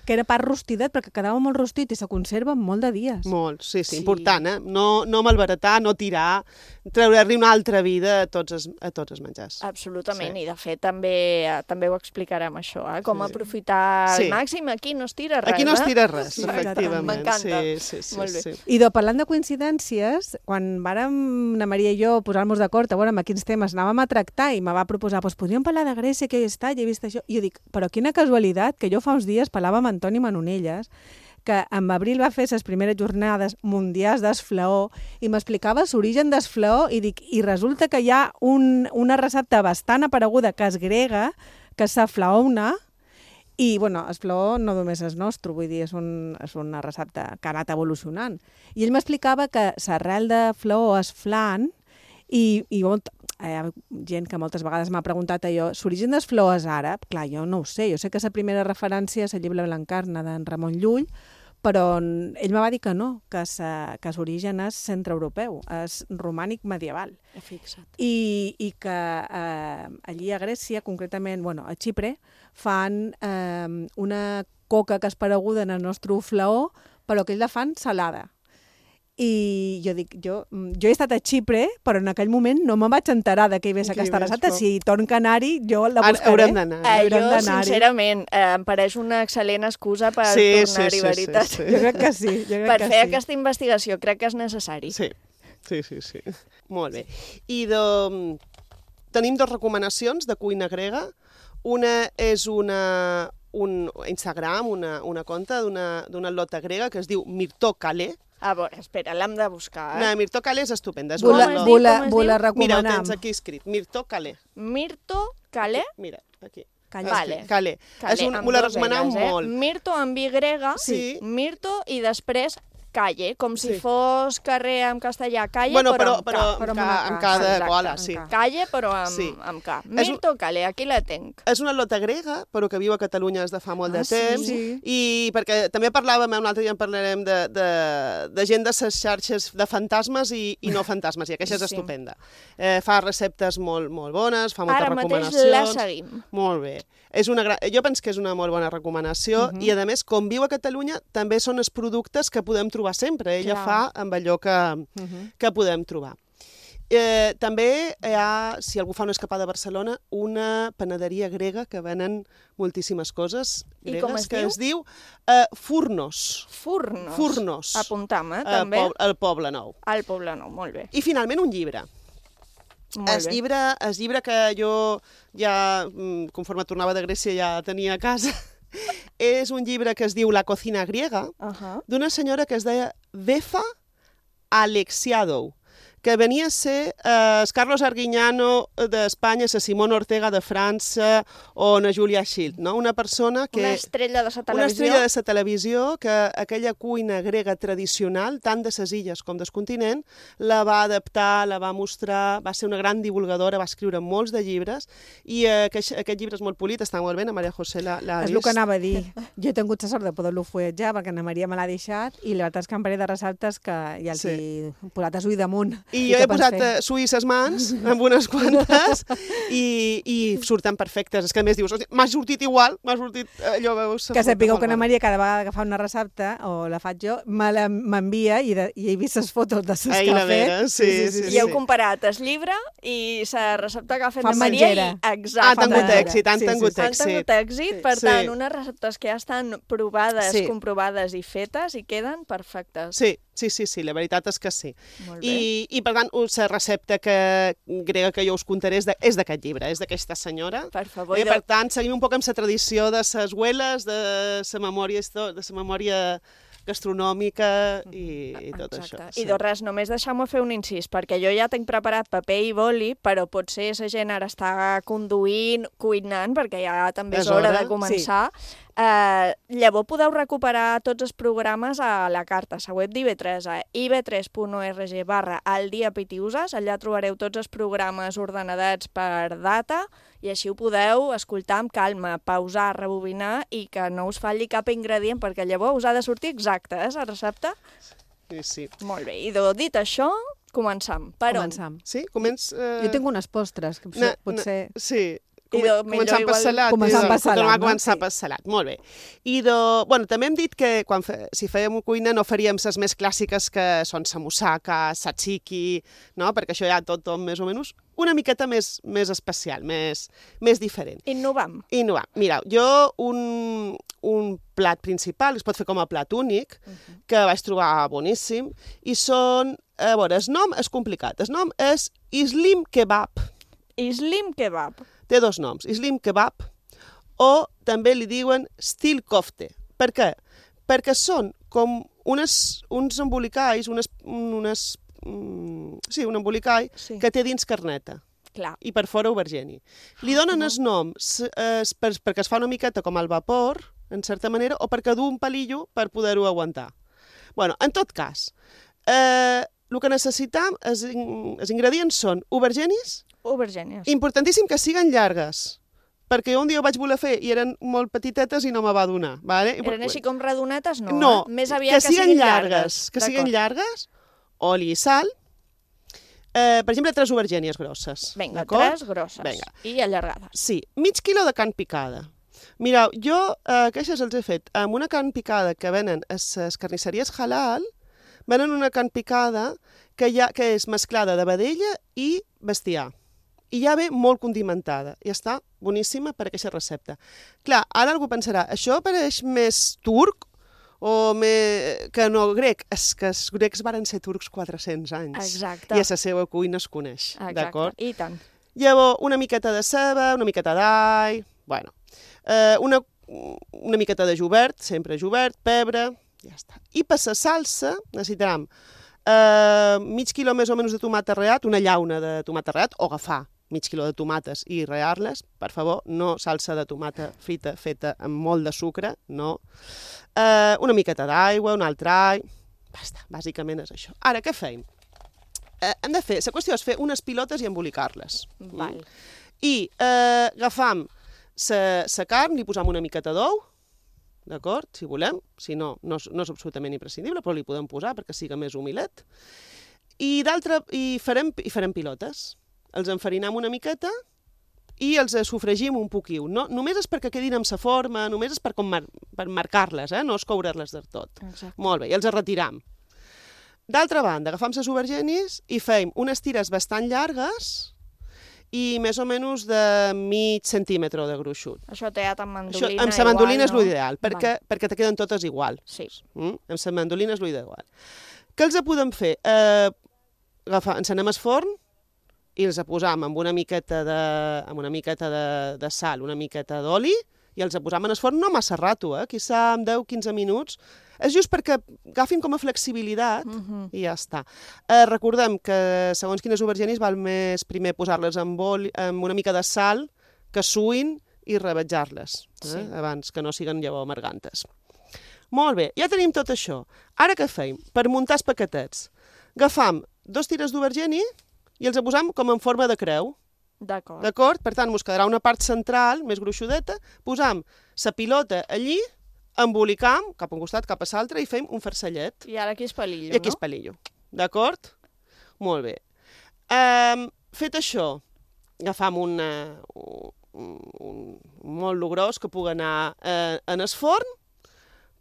K: que era pa rostidet, perquè quedava molt rostit i se conserva molt de dies.
J: Molt, sí, sí,
K: Sí.
J: important, eh? No, no malbaratar, no tirar, treure-li una altra vida a tots els, a tots els menjars.
C: Absolutament,
J: Sí.
C: i de fet també, també ho explicarem això, eh? com
J: Sí.
C: aprofitar
J: Sí.
C: al màxim. Aquí no es tira res.
J: Aquí no es
C: eh?
J: tira res,
C: Sí,
J: efectivament.
C: M'encanta.
J: Sí, sí, sí,
C: Molt bé.
J: sí.
K: I de, parlant de coincidències, quan vàrem, la Maria i jo, posar-nos d'acord a veure amb quins temes anàvem a tractar i me va proposar, doncs podríem parlar de Grècia, que hi està, i he vist això. I jo dic, però quina casualitat, que jo fa uns dies parlava amb Antoni Manonelles, que en abril va fer les primeres jornades mundials d'esflaó i m'explicava l'origen d'esflaó i dic, i resulta que hi ha un, una recepta bastant apareguda que és grega, que és la flaona, i, bueno, el flaó no només és nostre, vull dir, és, un, és una recepta que ha anat evolucionant. I ell m'explicava que l'arrel de flaó és flan i, i molt, hi ha gent que moltes vegades m'ha preguntat allò, l'origen del flaó és àrab? Clar, jo no ho sé, jo sé que la primera referència és el llibre Blancarna d'en Ramon Llull, però ell me va dir que no, que l'origen és centreeuropeu, és romànic medieval.
C: Fixa't.
K: I, i que eh, allí a Grècia, concretament, bueno, a Xipre, fan eh, una coca que és pareguda en el nostre flaó, però que ells la fan salada. I jo dic, jo, jo he estat a Xipre, però en aquell moment no me'n vaig enterar de què hi ve aquesta recepta. Si torn canari, jo la buscaré.
J: Haurem d'anar.
C: Eh, jo, sincerament, eh, em pareix una excel·lent excusa per
J: Sí,
C: tornar-hi,
J: sí, sí,
C: veritat.
J: sí, sí.
K: Jo crec que sí. Jo crec
C: Per
K: que
C: fer
K: sí.
C: aquesta investigació crec que és necessari.
J: Sí, sí, sí, sí. Molt bé. I de... tenim dues recomanacions de cuina grega. Una és una, un Instagram, una, una conta d'una atleta grega que es diu Mirto Kale.
C: A veure, espera, l'hem de buscar. Eh?
J: No, Mirto Kale és estupenda. És
K: Vull
J: una
K: la-
J: atleta-
K: vull la-
C: Com es
K: vull la
C: diu?
J: Mira, ho
K: recomanam.
J: tens aquí escrit. Mirto Kale.
C: Mirto Kale?
J: Mira, aquí.
K: Calla.
C: Vale.
J: Kale.
C: Kale,
J: És un,
C: amb
J: m'ho la
C: dos
J: recomanam
C: L's, eh?
J: molt.
C: Mirto amb Y grega,
J: Sí.
C: Mirto i després Calle, com si
J: Sí.
C: fos carrer en castellà, Calle,
J: Bueno,
C: però,
J: però,
C: amb
J: però
C: K.
J: amb,
K: Però amb
J: ca,
K: una
J: amb
K: K,
J: cada
C: exacte,
J: gola,
C: amb
J: sí.
C: K. Calle, però amb,
J: Sí.
C: amb K.
J: És un-
C: Mirto Calle, aquí la tenc.
J: És una atleta grega, però que viu a Catalunya des de fa molt
K: Ah,
J: de
K: sí?
J: temps.
K: Sí.
J: I perquè també parlàvem, un altre dia en parlarem de, de, de gent de les xarxes de fantasmes i, i no fantasmes, i aquesta és
C: Sí.
J: estupenda. Eh, fa receptes molt, molt bones, fa moltes
C: Ara mateix
J: recomanacions.
C: la seguim.
J: Molt bé. És una gran... Jo penso que és una molt bona recomanació
C: Mhm.
J: i, a més, com viu a Catalunya, també són els productes que podem trobar sempre. Ella
C: Clar.
J: fa amb allò que,
K: Mhm.
J: que podem trobar. Eh, també hi ha, si algú fa una escapada a Barcelona, una panaderia grega que venen moltíssimes coses
C: I
J: gregues
C: com es
J: que
C: diu?
J: es diu eh, Furnos.
C: Furnos.
J: Furnos.
C: Apuntam, eh,
J: al
C: també.
J: poble, al Poble Nou.
C: Al Poble Nou, molt bé.
J: I finalment un llibre.
C: Molt
J: El
C: bé.
J: llibre, el llibre que jo ja, mm, conforme tornava de Grècia, ja tenia a casa, és un llibre que es diu La cocina griega,
C: Uh -huh.
J: d'una senyora que es deia Vefa Alexiadou, que venia a ser eh, el Carlos Arguiñano d'Espanya, la Simona Ortega de França o na Julia Child, no? Una persona que...
C: Una estrella de la televisió.
J: Una estrella de la televisió que aquella cuina grega tradicional, tant de les illes com del continent, la va adaptar, la va mostrar, va ser una gran divulgadora, va escriure molts de llibres, i eh, aquest, aquest llibre és molt polit, està molt bé, la Maria José l'ha
K: És
J: vist.
K: el que anava a dir. Jo he tingut la sort de poder-lo fulletjar perquè Anna Maria me l'ha deixat i la veritat és que em parell de receptes que ja els
J: Sí.
K: he posat a suï damunt.
J: I jo
K: què
J: he
K: pots
J: posat
K: fer?
J: eh, suï ses mans amb unes quantes i, i surten perfectes. És que a més dius, "Hosti, m'ha sortit igual, m'ha sortit eh, allò, veus...
K: Que sapigueu que Anna Maria cada vegada que fa una recepta, o la faig jo, me la- m'envia i, de, i he vist les fotos de les
J: Ai,
K: que
J: la
K: ha fet.
J: vera, sí, sí,
C: I heu comparat el llibre i la recepta que ha fet
K: Fan
C: la Maria
K: menjera.
C: i exacte.
J: Han tingut èxit, han
K: Sí, sí,
J: tingut
K: sí.
C: Han
J: èxit.
C: tingut èxit, per
J: Sí.
C: tant, unes receptes que ja estan provades,
J: Sí.
C: comprovades i fetes i queden perfectes.
J: Sí, sí, sí, sí, la veritat és que sí.
C: Molt bé.
J: I, I, per tant, la recepta que, grega que jo us contaré és de- és d'aquest llibre, és d'aquesta senyora.
C: Per favor.
J: Eh,
C: i de-
J: per tant, seguim un poc amb la tradició de les abueles, de la memòria, histo- de la memòria gastronòmica i, i tot
C: Exacte.
J: això.
C: I de res, només deixeu-me fer un incís, perquè jo ja tinc preparat paper i boli, però potser la gent ara està conduint, cuinant, perquè ja també és,
J: És
C: hora,
J: hora,
C: de començar. Eh, llavors podeu recuperar tots els programes a la carta, a la web d'I V tres, a i v tres punt org barra el dia pitiuses. Allà trobareu tots els programes ordenadets per data i així ho podeu escoltar amb calma, pausar, rebobinar i que no us falli cap ingredient, perquè llavors us ha de sortir exacte, eh, la recepta.
J: Sí, sí.
C: Molt bé, i de, dit això, començam. Per on?
K: Començam.
J: Sí? Començ... Eh...
K: Jo tinc unes postres, que
J: Na-
K: potser...
J: na- Sí. com, començant per salat.
K: Començant per salat,
J: no? Començar per salat, molt bé. I de, bueno, també hem dit que quan fe, si fèiem cuina no faríem les més clàssiques que són samusaka, tzatziki, no? Perquè això ja tot, tot més o menys una miqueta més, més especial, més, més diferent.
C: Innovam.
J: Innovam. Mira, jo un, un plat principal, es pot fer com a plat únic, uh-huh. que vaig trobar boníssim, i són, a veure, el nom és complicat, el nom és Islim Kebab.
C: Islim Kebab.
J: Té dos noms, Islim Kebab, o també li diuen Stil Kofte. Per què? Perquè són com unes, uns embolicalls, unes, unes Mm, sí, un embolicall sí. que té dins carneta.
C: Clar.
J: I per fora aubergeni. Li donen el nom eh, per, perquè es fa una miqueta com al vapor, en certa manera, o perquè du un palillo per poder-ho aguantar. Bueno, en tot cas, eh, el que necessitam, els, els ingredients són aubergenis,
C: aubergenis.
J: Importantíssim que siguen llargues, perquè un dia ho vaig voler fer i eren molt petitetes i no me va donar. Vale?
C: Eren així com radonetes? No,
J: no
C: eh? Més aviat
J: que,
C: que siguin llargues.
J: llargues. Que siguin llargues, oli i sal, eh, per exemple, tres aubergènies grosses.
C: Vinga, tres grosses Venga. I allargades.
J: Sí, mig quilo de carn picada. Mireu, jo eh, aquestes els he fet amb una carn picada que venen a les carnisseries halal, venen una carn picada que, ha, que és mesclada de vedella i bestiar. I ja ve molt condimentada. I està boníssima per aquesta recepta. Clar, ara algú pensarà, això pareix més turc o me... que no grec. És que els grecs varen ser turcs quatre-cents anys.
C: Exacte.
J: I a la seva cuina es coneix.
C: Exacte, i tant.
J: Llavors, una miqueta de ceba, una miqueta d'all, bueno, eh, una, una miqueta de jubert, sempre jubert, pebre, ja està. I per la salsa necessitarem eh, mig quilo més o menys de tomata reat, una llauna de tomata reat, o agafar mig quilo de tomates i rear-les, per favor, no salsa de tomata frita feta amb molt de sucre, no. Eh, una miqueta d'aigua, un altre all, basta, bàsicament és això. Ara, què feim? Eh, hem de fer, la qüestió és fer unes pilotes i embolicar-les.
C: Val.
J: I eh, agafam la carn, li posam una miqueta d'ou, d'acord, si volem, si no, no, no és absolutament imprescindible, però li podem posar perquè siga més humilet. I d'altra, i farem, i farem pilotes. Els enfarinam una miqueta i els sofregim un poquiu. No, només és perquè quedin amb sa forma, només és per, com mar per marcar-les, eh? No és coure-les del tot.
C: Exacte.
J: Molt bé, i els retiram. D'altra banda, agafam les aubergenis i feim unes tires bastant llargues i més o menys de mig centímetre de gruixut.
C: Això teat amb mandolina
J: Això, amb la mandolina
C: igual,
J: és l'ideal, no? perquè, perquè te queden totes igual.
C: Sí.
J: Mm? Amb la mandolina és l'ideal. Què els podem fer? Eh, agafar, encenem el forn, i els posam amb una miqueta de, amb una miqueta de, de sal, una miqueta d'oli, i els posam en el forn no massa rato, eh? Quizà en deu a quinze minuts. És just perquè agafin com a flexibilitat uh-huh. i ja està. Eh, recordem que segons quines aubergenis val més primer posar-les amb, oli, amb una mica de sal, que suïn i rebatjar-les, eh? Sí. Abans que no siguen llavors amargantes. Molt bé, ja tenim tot això. Ara què feim? Per muntar els paquetets. Agafam dos tires d'aubergeni i els posam com en forma de creu.
C: D'acord.
J: D'acord? Per tant, ens quedarà una part central, més gruixudeta, posam la pilota allí, embolicam, cap a un costat, cap a l'altre, i fem un farcellet.
C: I ara aquí és palillo,
J: no? I aquí és palillo. D'acord? Molt bé. Um, fet això, agafam una, un, un molt gros que pugui anar eh, en el forn,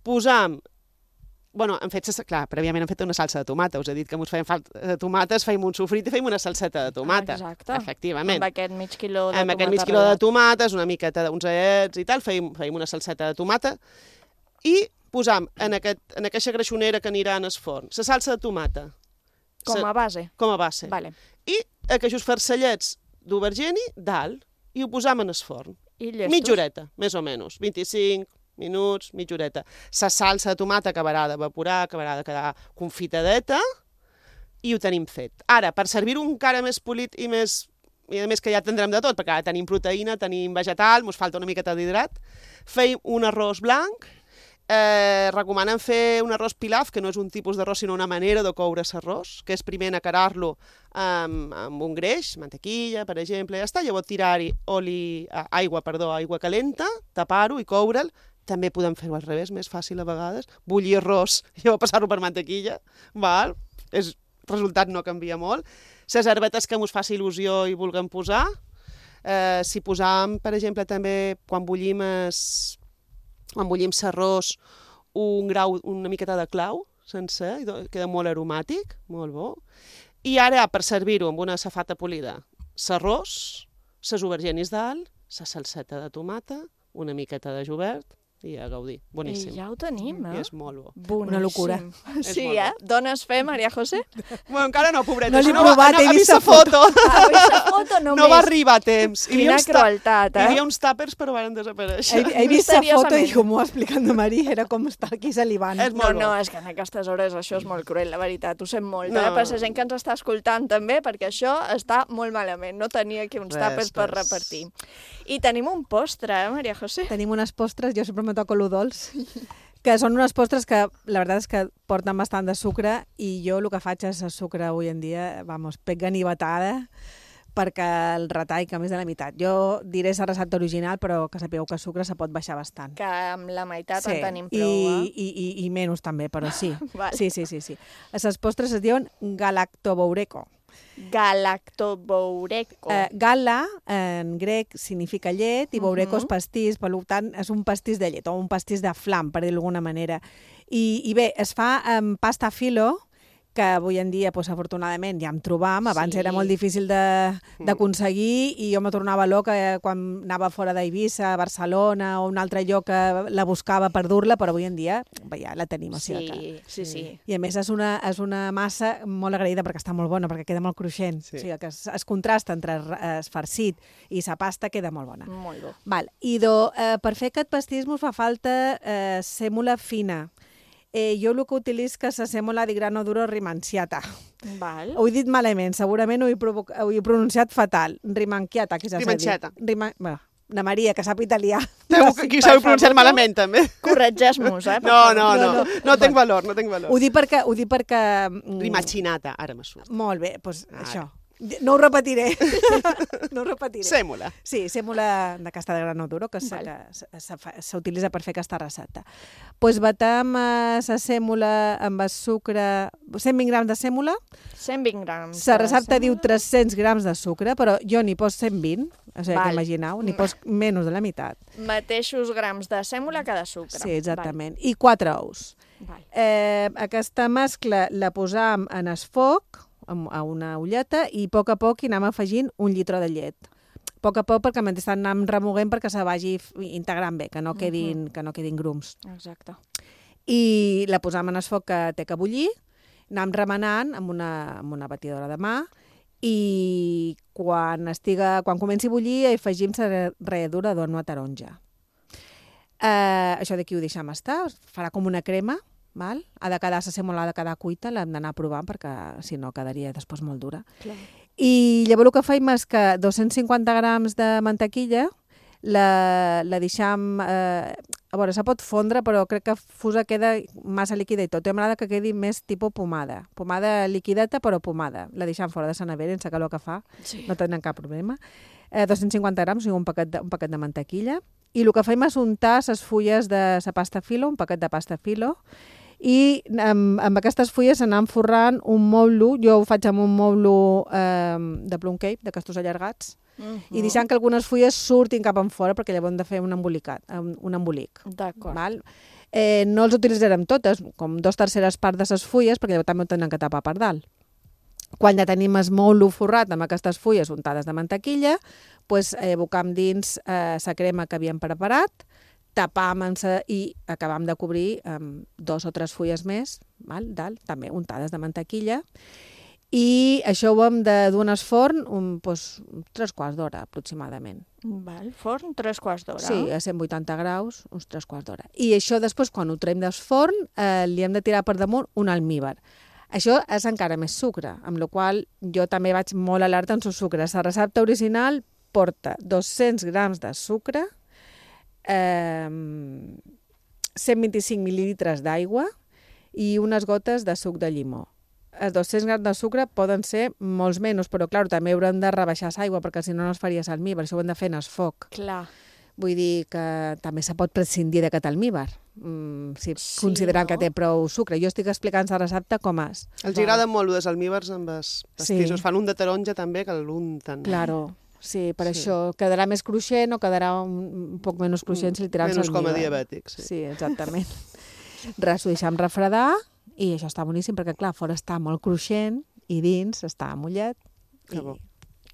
J: posam Bueno, hem fet, clar, prèviament hem fet una salsa de tomata. Us he dit que ens feien falta de tomates, feim un sofrit i feim una salseta de tomata.
C: Exacte.
J: Efectivament.
C: Amb aquest mig quilo de
J: amb
C: tomata.
J: Amb aquest mig quilo de tomates, una miqueta d'uns aets i tal, feim, feim una salseta de tomata i posam en, aquest, en aquesta greixonera que anirà en el forn la salsa de tomata.
C: Com a base?
J: Com a base.
C: Vale.
J: I aquests farcellets d'aubergeni dalt i ho posam en el forn.
C: I llestos?
J: Mitja horeta, més o menys, vint-i-cinc minuts, mitja horeta. La salsa de tomata acabarà d'evaporar, acabarà de quedar confitadeta i ho tenim fet. Ara, per servir-ho encara més polit i més... I a més que ja tindrem de tot, perquè ara tenim proteïna, tenim vegetal, ens falta una miqueta d'hidrat, feim un arròs blanc, eh, recomanen fer un arròs pilaf, que no és un tipus d'arròs, sinó una manera de coure l'arròs, que és primer acarar-lo amb, amb un greix, mantequilla, per exemple, ja està, llavors tirar-hi oli, aigua, perdó, aigua calenta, tapar-ho i coure'l. També podem fer-ho al revés, més fàcil a vegades, bullir arròs i llavors passar-ho per mantequilla, val? El resultat no canvia molt. Les herbetes que ens faci il·lusió i vulguem posar, Eh, si posàvem, per exemple, també quan bullim es... quan bullim s'arròs, un grau, una miqueta de clau sencer, i queda molt aromàtic, molt bo. I ara, per servir-ho amb una safata polida, s'arròs, ses aubergenis dalt, sa salseta de tomata, una miqueta de julivert, i a gaudir. Boníssim.
C: I ja ho tenim, eh?
J: I és molt bo.
C: Boníssim.
K: Una locura.
C: Sí, eh? Dones fe, Maria José?
J: Bueno, encara no, pobreta.
K: No l'he
J: no
K: provat,
J: va,
K: he
J: ha
K: vist
J: vist la foto.
C: Ah, vist la foto només.
J: No va arribar a temps. Hi havia
C: Quina
J: uns ta-
C: crueltat, eh?
J: Hi havia uns tàpers, però van desaparèixer.
K: He, he vist la foto i
C: Misteriosament.
K: com ho ha explicat la Maria, era com estar aquí salivant.
J: És
C: No,
J: molt
C: no,
J: bo.
C: és que en aquestes hores això és molt cruel, la veritat, ho sent molt,
J: No.
C: eh? Per la gent que ens està escoltant també, perquè això està molt malament, no tenia aquí uns
J: Res,
C: tàpers per
J: res.
C: repartir. I tenim un postre, eh, Maria José?
K: Tenim unes postres, jo sempre me toco lo dolç, que són unes postres que la veritat és que porten bastant de sucre i jo el que faig és el sucre avui en dia, vamos, pec ganivetada, perquè el retall que més de la meitat. Jo diré la recepta original, però que sapigueu que el sucre se pot baixar bastant.
C: Que amb la meitat
K: Sí,
C: en tenim
K: i,
C: prou, eh?
K: i, i, i menys també, però sí.
C: Vale.
K: Sí, sí, sí, sí. Les postres es diuen galactoboureco.
C: Galactoboureco.
K: Eh, gala, en grec, significa llet, i boureco és
C: Mhm.
K: pastís, per tant, és un pastís de llet, o un pastís de flam, per dir-ho d'alguna manera. I, I bé, es fa amb pasta filo, que avui en dia, pues, afortunadament, ja en trobam. Abans
C: Sí.
K: era molt difícil de- d'aconseguir i jo me tornava loca quan anava fora d'Eivissa, a Barcelona o un altre lloc que la buscava per dur-la, però avui en dia ja la tenim. O sigui que...
C: Sí, sí, sí.
K: I a més és una, és una massa molt agraïda perquè està molt bona, perquè queda molt cruixent.
J: Sí.
K: O sigui que es, es contrasta entre el farcit i la pasta, queda molt bona.
C: Molt bo.
K: Val. I do, eh, per fer aquest pastís mos fa falta eh, sèmola fina. Eh, jo el que utilitzo és la sèmola di grano duro rimanciata.
C: Val.
K: Ho he dit malament, segurament ho he, provo- ho he pronunciat fatal. Rimanciata, que ja s'ha dit.
J: Rimanciata.
K: Rima... Bueno, na Maria, que sap italià.
J: Teu, qui s'ho pronunciat malament, també.
C: Corregeix-nos, eh? per
J: No,
C: favor.
J: no, no.
K: No,
J: No,
K: no.
J: no tinc valor, no tinc valor.
K: Ho dic perquè... Ho dic perquè mm,
J: Rimacinata, ara me surt.
K: Molt bé, doncs
J: Ara.
K: això. No ho repetiré. no ho repetiré.
J: Sèmola.
K: Sí, sèmola de casta de grano duro, que
C: Val.
K: s'utilitza per fer aquesta recepta. Doncs pues batem la sèmola amb el sucre, cent vint grams de sèmola.
C: cent vint grams.
K: La
C: de
K: recepta
C: sèmola.
K: diu tres-cents grams de sucre, però jo n'hi poso cent vint, o sigui,
C: Val.
K: que imagineu, n'hi poso menys de la meitat.
C: Mateixos grams de sèmola que de sucre.
K: Sí, exactament. I quatre ous.
C: Val.
K: Eh, aquesta mescla la posam en el foc, amb- a una ulleta, i a poc a poc hi anem afegint un litre de llet. A poc a poc, perquè mentrestant anem remoguent perquè se vagi f- integrant bé, que no quedin, que no quedin grums.
C: Exacte.
K: I la posam en el foc que té que bullir, anem remenant amb una, amb una batidora de mà, i quan, estiga, quan comenci a bullir hi afegim la ralladura d'una taronja. Eh, això d'aquí ho deixem estar, farà com una crema, val? Ha de quedar, la sèmola ha de quedar cuita, l'hem d'anar provant perquè si no quedaria després molt dura.
C: Clar.
K: I llavors el que faim és que dos-cents cinquanta grams de mantequilla la, la deixam... Eh, a veure, se pot fondre, però crec que fusa queda massa líquida i tot. A m'agrada que quedi més tipus pomada. Pomada liquideta, però pomada. La deixam fora de la nevera, sense calor que fa.
C: Sí.
K: No tenen cap problema. Eh, dos-cents cinquanta grams, o sigui, un paquet, de, un paquet de mantequilla. I el que faim és untar les fulles de la pasta filo, un paquet de pasta filo, i amb, amb aquestes fulles anem forrant un moulo, jo ho faig amb un moulo eh, de plum cake, de castos allargats,
C: Uh
K: i deixant que algunes fulles surtin cap en fora perquè llavors hem de fer un embolicat, un, un embolic.
C: D'acord.
K: Val? Eh, no els utilitzarem totes, com dos terceres parts de les fulles, perquè llavors també ho tenen que tapar per dalt. Quan ja tenim el moulo forrat amb aquestes fulles untades de mantequilla, pues, eh, bocam dins eh, la crema que havíem preparat, tapam i acabam de cobrir amb dos o tres fulles més, val? Dalt, també untades de mantequilla, i això ho hem de dur al forn un, pues, uns tres quarts d'hora aproximadament.
C: Val. Forn, tres quarts d'hora.
K: Sí, a cent vuitanta graus, uns tres quarts d'hora. I això després, quan ho traiem del forn, eh, li hem de tirar per damunt un almíbar. Això és encara més sucre, amb la qual jo també vaig molt alerta en el sucre. La recepta original porta dos-cents grams de sucre, eh, cent vint-i-cinc mil·lilitres d'aigua i unes gotes de suc de llimó. Els dos-cents grams de sucre poden ser molts menys, però clar, també haurem de rebaixar l'aigua perquè si no no es faria almíbar, això ho hem de fer en el foc.
C: Clar.
K: Vull dir que també se pot prescindir d'aquest almíbar, mm, si
C: Sí,
K: considerant
C: no?
K: que té prou sucre. Jo estic explicant la recepta com és.
J: Els agrada molt els almíbars amb els pastissos.
K: Sí.
J: Fan un de taronja també, que l'unten.
K: Claro. Sí, per
J: Sí.
K: això quedarà més cruixent o quedarà un, un poc menys cruixent si li tirem
J: Menys com a
K: salmiga.
J: diabètic, sí.
K: Sí, exactament. Res, ho deixam refredar i això està boníssim perquè, clar, fora està molt cruixent i dins està mullat.
J: Que bo.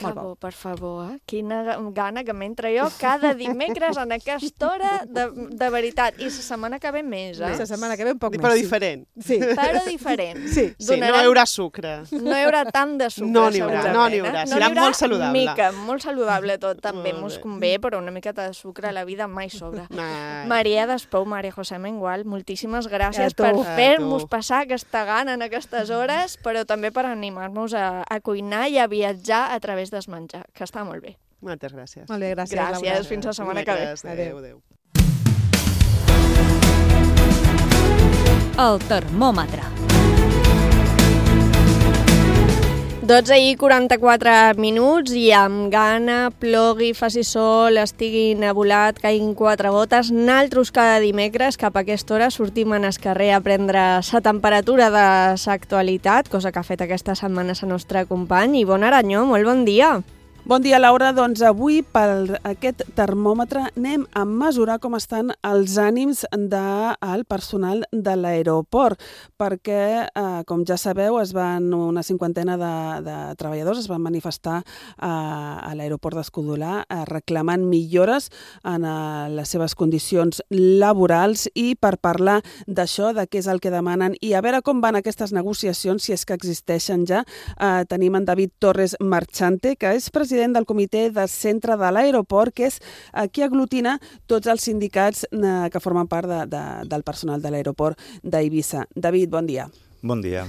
C: Que bo, per favor, eh? Quina gana que m'entra jo cada dimecres en aquesta hora, de, de veritat. I la setmana que ve més, eh?
K: La setmana que ve un poc
J: Però
K: més.
J: diferent.
K: Sí.
C: Però diferent.
K: Sí.
J: Sí, no hi haurà sucre.
C: No hi haurà tant de sucre,
J: No n'hi haurà,
C: segurament,
J: no n'hi
C: eh?
J: haurà.
C: No
J: Serà
C: n'hi haurà
J: molt saludable.
C: Mica, molt saludable tot, també.
J: Molt
C: Mos
J: bé.
C: convé, però una miqueta de sucre a la vida mai sobra.
J: Mai.
C: Maria Despou, Maria José Mengual, moltíssimes gràcies
K: A tu.
C: per
J: A
C: fer-nos
J: tu.
C: passar aquesta gana en aquestes hores, però també per animar-nos a, a cuinar i a viatjar a través del menjar, que està molt bé.
J: Moltes gràcies.
K: Molt bé, gràcies.
C: Gràcies,
K: Laura.
C: fins la setmana que ve.
J: Dimecres, Adéu, adéu.
B: El termòmetre.
C: dotze i quaranta-quatre minuts i amb gana, plogui, faci sol, estigui nebulat, caiguin quatre gotes. Naltros cada dimecres cap a aquesta hora sortim en el carrer a prendre la temperatura de l'actualitat, cosa que ha fet aquesta setmana el nostre company. Ivonne Aranyó, molt bon dia.
D: Bon dia, Laura. Doncs avui, per aquest termòmetre, anem a mesurar com estan els ànims del personal de l'aeroport, perquè, eh, com ja sabeu, es van una cinquantena de, de treballadors es van manifestar a, a l'aeroport d'Escudolà eh, reclamant millores en eh, les seves condicions laborals, i per parlar d'això, de què és el que demanen i a veure com van aquestes negociacions, si és que existeixen ja, eh, tenim en David Torres Marchante, que és president del comitè de centre de l'aeroport, que és eh, qui aglutina tots els sindicats eh, que formen part de, de, del personal de l'aeroport d'Eivissa. David, bon dia.
L: Bon dia.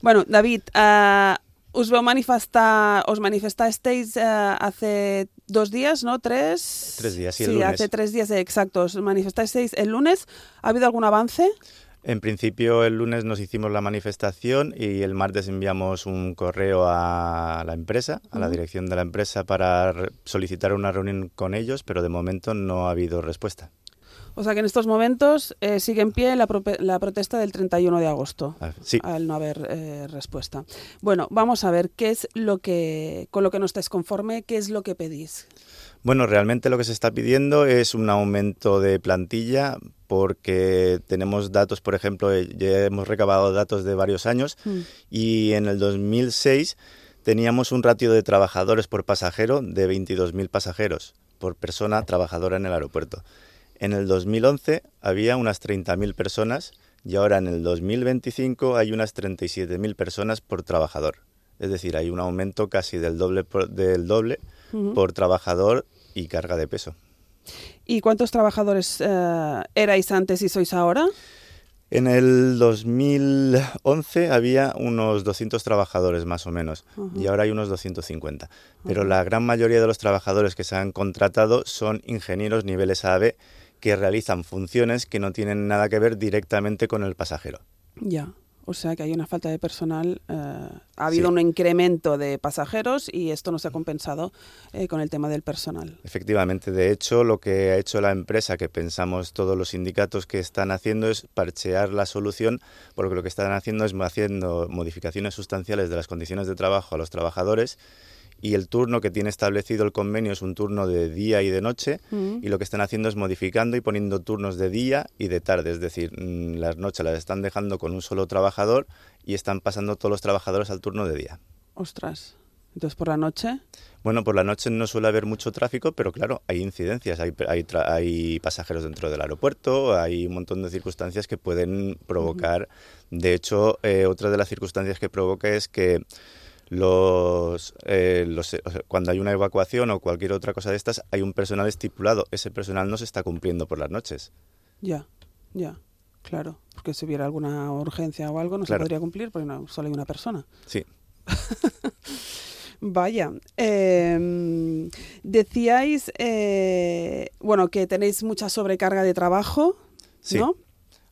D: Bueno, David, eh, us veu manifestar, os manifestasteis eh, hace dos días, ¿no? Tres.
L: Tres días, sí, el
D: sí,
L: lunes.
D: hace tres días, eh, exacto. Os manifestasteis el lunes. ¿Ha habido algún avance?
L: En principio el lunes nos hicimos la manifestación y el martes enviamos un correo a la empresa, a la
D: Ujú.
L: dirección de la empresa, para re- solicitar una reunión con ellos, pero de momento no ha habido respuesta.
D: O sea que en estos momentos eh, sigue en pie la, prope- la protesta del treinta y uno de agosto.
L: Ah, sí.
D: Al no haber eh, respuesta. Bueno, vamos a ver qué es lo que, con lo que no estáis conforme, qué es lo que pedís.
L: Bueno, realmente lo que se está pidiendo es un aumento de plantilla porque tenemos datos, por ejemplo, eh, ya hemos recabado datos de varios años
D: Mm.
L: y en el dos mil seis teníamos un ratio de trabajadores por pasajero de veintidós mil pasajeros por persona trabajadora en el aeropuerto. En el dos mil once había unas treinta mil personas y ahora en el dos mil veinticinco hay unas treinta y siete mil personas por trabajador. Es decir, hay un aumento casi del doble por, del doble
D: Ujú.
L: por trabajador y carga de peso.
D: ¿Y cuántos trabajadores eh, erais antes y sois ahora?
L: En el dos mil once había unos doscientos trabajadores más o menos
D: Ujú.
L: y ahora hay unos doscientos cincuenta. Pero la gran mayoría de los trabajadores que se han contratado son ingenieros niveles A B que realizan funciones que no tienen nada que ver directamente con el pasajero.
D: Ya. O sea que hay una falta de personal. Eh, ha habido
L: Sí.
D: un incremento de pasajeros y esto no se ha compensado eh, con el tema del personal.
L: Efectivamente, de hecho, lo que ha hecho la empresa, que pensamos todos los sindicatos que están haciendo, es parchear la solución, porque lo que están haciendo es haciendo modificaciones sustanciales de las condiciones de trabajo a los trabajadores, y el turno que tiene establecido el convenio es un turno de día y de noche,
D: Mm.
L: y lo que están haciendo es modificando y poniendo turnos de día y de tarde, es decir, mm, las noches las están dejando con un solo trabajador y están pasando todos los trabajadores al turno de día.
D: Ostras. Entonces por la noche.
L: Bueno, por la noche no suele haber mucho tráfico, pero claro, hay incidencias, hay, hay, tra- hay pasajeros dentro del aeropuerto, hay un montón de circunstancias que pueden provocar. De hecho, eh, otra de las circunstancias que provoca es que los, eh, los o sea, cuando hay una evacuación o cualquier otra cosa de estas, hay un personal estipulado. Ese personal no se está cumpliendo por las noches.
D: Ya, ya. Claro. Porque si hubiera alguna urgencia o algo no
L: Claro.
D: se podría cumplir porque no, solo hay una persona.
L: Sí.
D: Vaya, eh, decíais, eh, bueno, que tenéis mucha sobrecarga de trabajo,
L: Sí.
D: ¿no?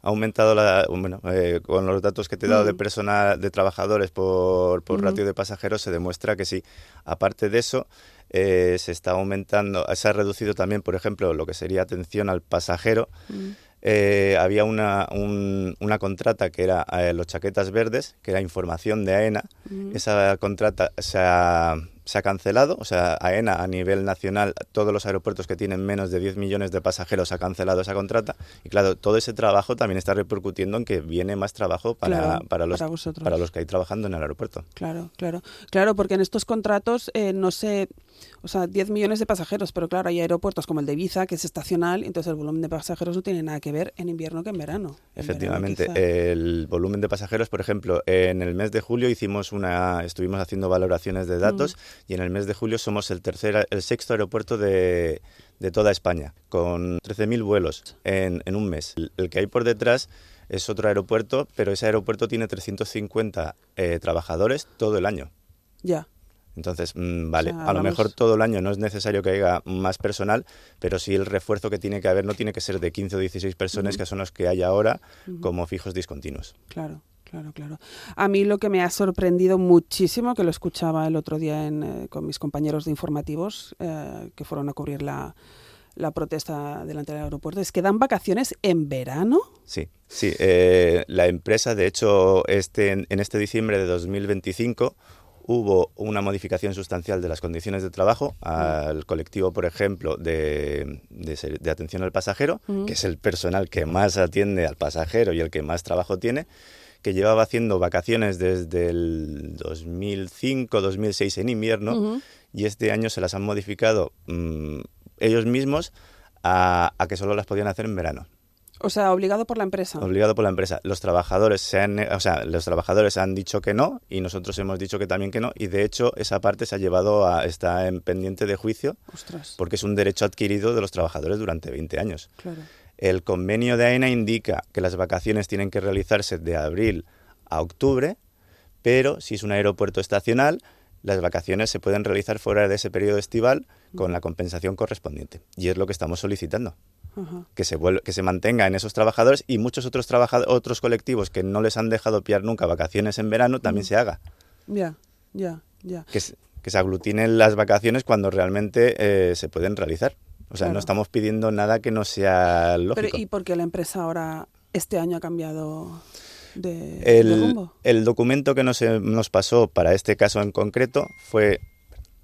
L: Ha aumentado la, bueno, eh, con los datos que te he dado de
D: Mm.
L: personal, de trabajadores por, por
D: Ujú.
L: ratio de pasajeros, se demuestra que sí. Aparte de eso, eh, se está aumentando, se ha reducido también, por ejemplo, lo que sería atención al pasajero.
D: Mm.
L: Eh, había una, un- una contrata que era eh, los chaquetas verdes, que era información de AENA.
D: Mm.
L: Esa contrata se ha, se ha cancelado, o sea, AENA a nivel nacional, todos los aeropuertos que tienen menos de diez millones de pasajeros ha cancelado esa contrata y claro, todo ese trabajo también está repercutiendo en que viene más trabajo para,
D: claro,
L: para, los,
D: para,
L: para los que hay trabajando en el aeropuerto.
D: Claro, claro, claro, porque en estos contratos eh, no sé, o sea, diez millones de pasajeros, pero claro, hay aeropuertos como el de Ibiza, que es estacional, entonces el volumen de pasajeros no tiene nada que ver en invierno que en verano. En
L: Efectivamente,
D: verano,
L: el volumen de pasajeros, por ejemplo, en el mes de julio hicimos una, estuvimos haciendo valoraciones de datos mm. y en el mes de julio somos el tercer, el sexto aeropuerto de, de toda España, con trece mil vuelos en, en un mes. El, el que hay por detrás es otro aeropuerto, pero ese aeropuerto tiene trescientos cincuenta eh, trabajadores todo el año.
D: Ya.
L: Entonces, mmm, vale,
D: o sea,
L: a lo mejor todo el año no es necesario que haya más personal, pero sí el refuerzo que tiene que haber no tiene que ser de quince o dieciséis personas, uh-huh. que son los que hay ahora, uh-huh. como fijos discontinuos.
D: Claro. Claro, claro. A mí lo que me ha sorprendido muchísimo, que lo escuchaba el otro día en, eh, con mis compañeros de informativos eh, que fueron a cubrir la, la protesta delante del aeropuerto, es que dan vacaciones en verano.
L: Sí, sí. Eh, la empresa, de hecho, este, en este diciembre de dos mil veinticinco hubo una modificación sustancial de las condiciones de trabajo al colectivo, por ejemplo, de, de, de atención al pasajero, uh-huh. que es el personal que más atiende al pasajero y el que más trabajo tiene, que llevaba haciendo vacaciones desde el dos mil cinco, dos mil seis en invierno, uh-huh. y este año se las han modificado mmm, ellos mismos a, a que solo las podían hacer en verano.
D: O sea, obligado por la empresa.
L: Obligado por la empresa. Los trabajadores se han, o sea, los trabajadores han dicho que no y nosotros hemos dicho que también que no y de hecho esa parte se ha llevado a está en pendiente de juicio.
D: Ostras.
L: Porque es un derecho adquirido de los trabajadores durante veinte años.
D: Claro.
L: El convenio de AENA indica que las vacaciones tienen que realizarse de abril a octubre, pero si es un aeropuerto estacional, las vacaciones se pueden realizar fuera de ese periodo estival con la compensación correspondiente. Y es lo que estamos solicitando. Uh-huh. Que se vuelva, que se mantenga en esos trabajadores y muchos otros trabajadores, otros colectivos que no les han dejado pillar nunca vacaciones en verano, también uh-huh. se haga.
D: Ya, ya, ya.
L: Que, que se aglutinen las vacaciones cuando realmente eh, se pueden realizar. O sea, claro. no estamos pidiendo nada que no sea lógico.
D: Pero, ¿y por qué la empresa ahora, este año, ha cambiado de,
L: el,
D: de rumbo?
L: El documento que nos, nos pasó para este caso en concreto fue,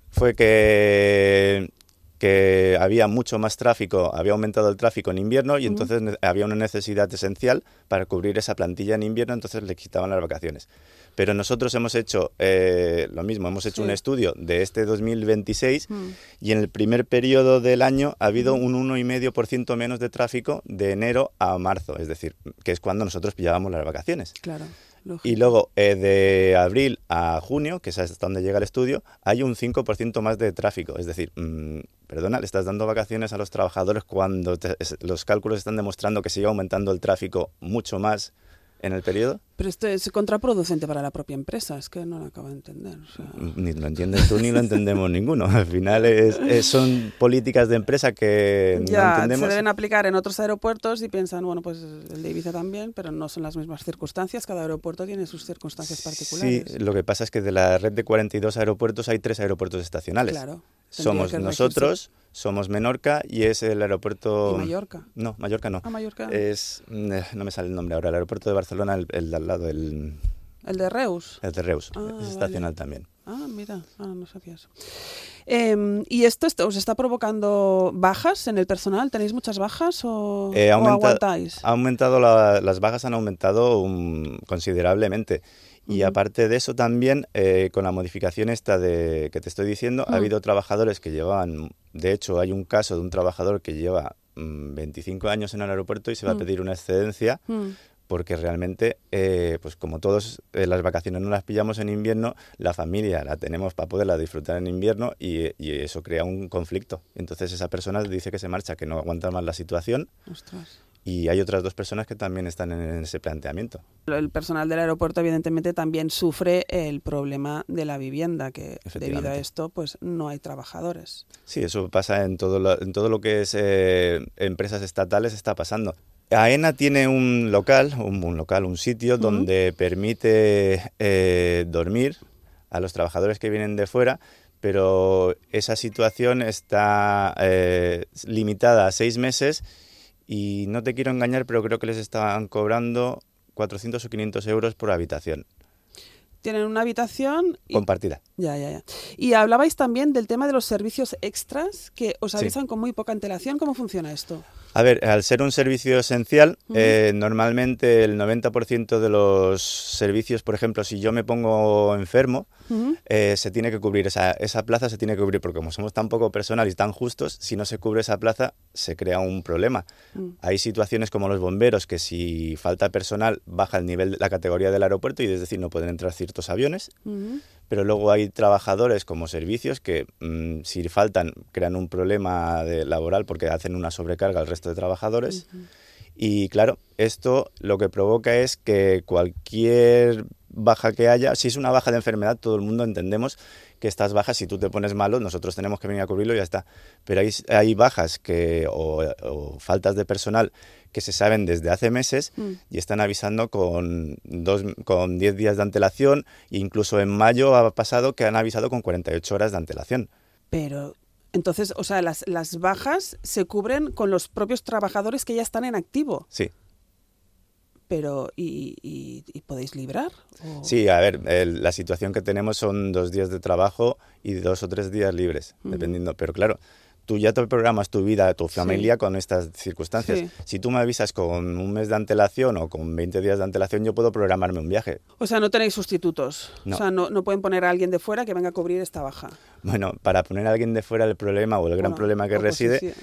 L: fue que, que había mucho más tráfico, había aumentado el tráfico en invierno y uh-huh. entonces había una necesidad esencial para cubrir esa plantilla en invierno, entonces le quitaban las vacaciones. Pero nosotros hemos hecho eh, lo mismo, hemos hecho sí. un estudio de este dos mil veintiséis mm. y en el primer periodo del año ha habido mm. un uno coma cinco por ciento menos de tráfico de enero a marzo, es decir, que es cuando nosotros pillábamos las vacaciones.
D: Claro, lógico.
L: Y luego eh, de abril a junio, que es hasta donde llega el estudio, hay un cinco por ciento más de tráfico, es decir, mmm, perdona, le estás dando vacaciones a los trabajadores cuando te, los cálculos están demostrando que sigue aumentando el tráfico mucho más en el periodo.
D: Pero esto es contraproducente para la propia empresa, es que no lo acabo de entender. O sea...
L: Ni lo entiendes tú ni lo entendemos ninguno. Al final es, es, son políticas de empresa que
D: ya,
L: no entendemos.
D: Se deben aplicar en otros aeropuertos y piensan, bueno, pues el de Ibiza también, pero no son las mismas circunstancias. Cada aeropuerto tiene sus circunstancias particulares.
L: Sí, lo que pasa es que de la red de cuarenta y dos aeropuertos hay tres aeropuertos estacionales.
D: Claro.
L: Somos nosotros, somos Menorca y es el aeropuerto...
D: ¿Y Mallorca?
L: No, Mallorca no.
D: Ah, Mallorca.
L: Es, no me sale el nombre ahora, el aeropuerto de Barcelona, el, el de al lado, el...
D: ¿El de Reus?
L: El de Reus,
D: ah,
L: es
D: vale.
L: estacional también.
D: Ah, mira, ah, no sabía eso. Eh, ¿Y esto, esto os está provocando bajas en el personal? ¿Tenéis muchas bajas o,
L: eh,
D: o
L: aumenta,
D: aguantáis?
L: Ha aumentado la, las bajas han aumentado um, considerablemente. Y uh-huh. aparte de eso también, eh, con la modificación esta de que te estoy diciendo, uh-huh. ha habido trabajadores que llevaban, de hecho hay un caso de un trabajador que lleva um, veinticinco años en el aeropuerto y se va uh-huh. a pedir una excedencia uh-huh. porque realmente, eh, pues como todos eh, las vacaciones no las pillamos en invierno, la familia la tenemos para poderla disfrutar en invierno y, y eso crea un conflicto. Entonces esa persona dice que se marcha, que no aguanta más la situación.
D: Ostras.
L: Y hay otras dos personas que también están en ese planteamiento.
D: El personal del aeropuerto evidentemente también sufre el problema de la vivienda, que debido a esto pues no hay trabajadores.
L: Sí, eso pasa en todo lo, en todo lo que es eh, empresas estatales, está pasando. AENA tiene un local, un, un local, un sitio uh-huh. donde permite eh, dormir a los trabajadores que vienen de fuera, pero esa situación está eh, limitada a seis meses. Y no te quiero engañar, pero creo que les estaban cobrando cuatrocientos o quinientos euros por habitación.
D: tienen una habitación... Y...
L: compartida.
D: Ya, ya, ya. Y hablabais también del tema de los servicios extras que os avisan
L: Sí.
D: con muy poca antelación. ¿Cómo funciona esto?
L: A ver, al ser un servicio esencial, uh-huh. eh, normalmente el noventa por ciento de los servicios, por ejemplo, si yo me pongo enfermo, uh-huh. eh, se tiene que cubrir, esa, esa plaza se tiene que cubrir, porque como somos tan poco personal y tan justos, si no se cubre esa plaza, se crea un problema. Uh-huh. Hay situaciones como los bomberos, que si falta personal, baja el nivel de la categoría del aeropuerto y es decir, no pueden entrar ciertos aviones. Uh-huh. Pero luego hay trabajadores como servicios que mmm, si faltan crean un problema de laboral porque hacen una sobrecarga al resto de trabajadores. Uh-huh. Y claro, esto lo que provoca es que cualquier baja que haya, si es una baja de enfermedad, todo el mundo entendemos que estas bajas, si tú te pones malo, nosotros tenemos que venir a cubrirlo y ya está. Pero hay, hay bajas que, o, o faltas de personal que se saben desde hace meses mm. y están avisando con dos, con diez días de antelación, e incluso en mayo ha pasado que han avisado con cuarenta y ocho horas de antelación.
D: Pero, entonces, o sea, las, las bajas se cubren con los propios trabajadores que ya están en activo.
L: Sí.
D: Pero, ¿y, y, y podéis librar? ¿O?
L: Sí, a ver, el, la situación que tenemos son dos días de trabajo y dos o tres días libres, uh-huh. dependiendo. Pero claro, tú ya te programas tu vida, tu familia sí. con estas circunstancias. Sí. Si tú me avisas con un mes de antelación o con veinte días de antelación, yo puedo programarme un viaje.
D: O sea, no tenéis sustitutos.
L: No.
D: O sea, no, no pueden poner a alguien de fuera que venga a cubrir esta baja.
L: Bueno, para poner a alguien de fuera el problema o el gran bueno, problema que reside...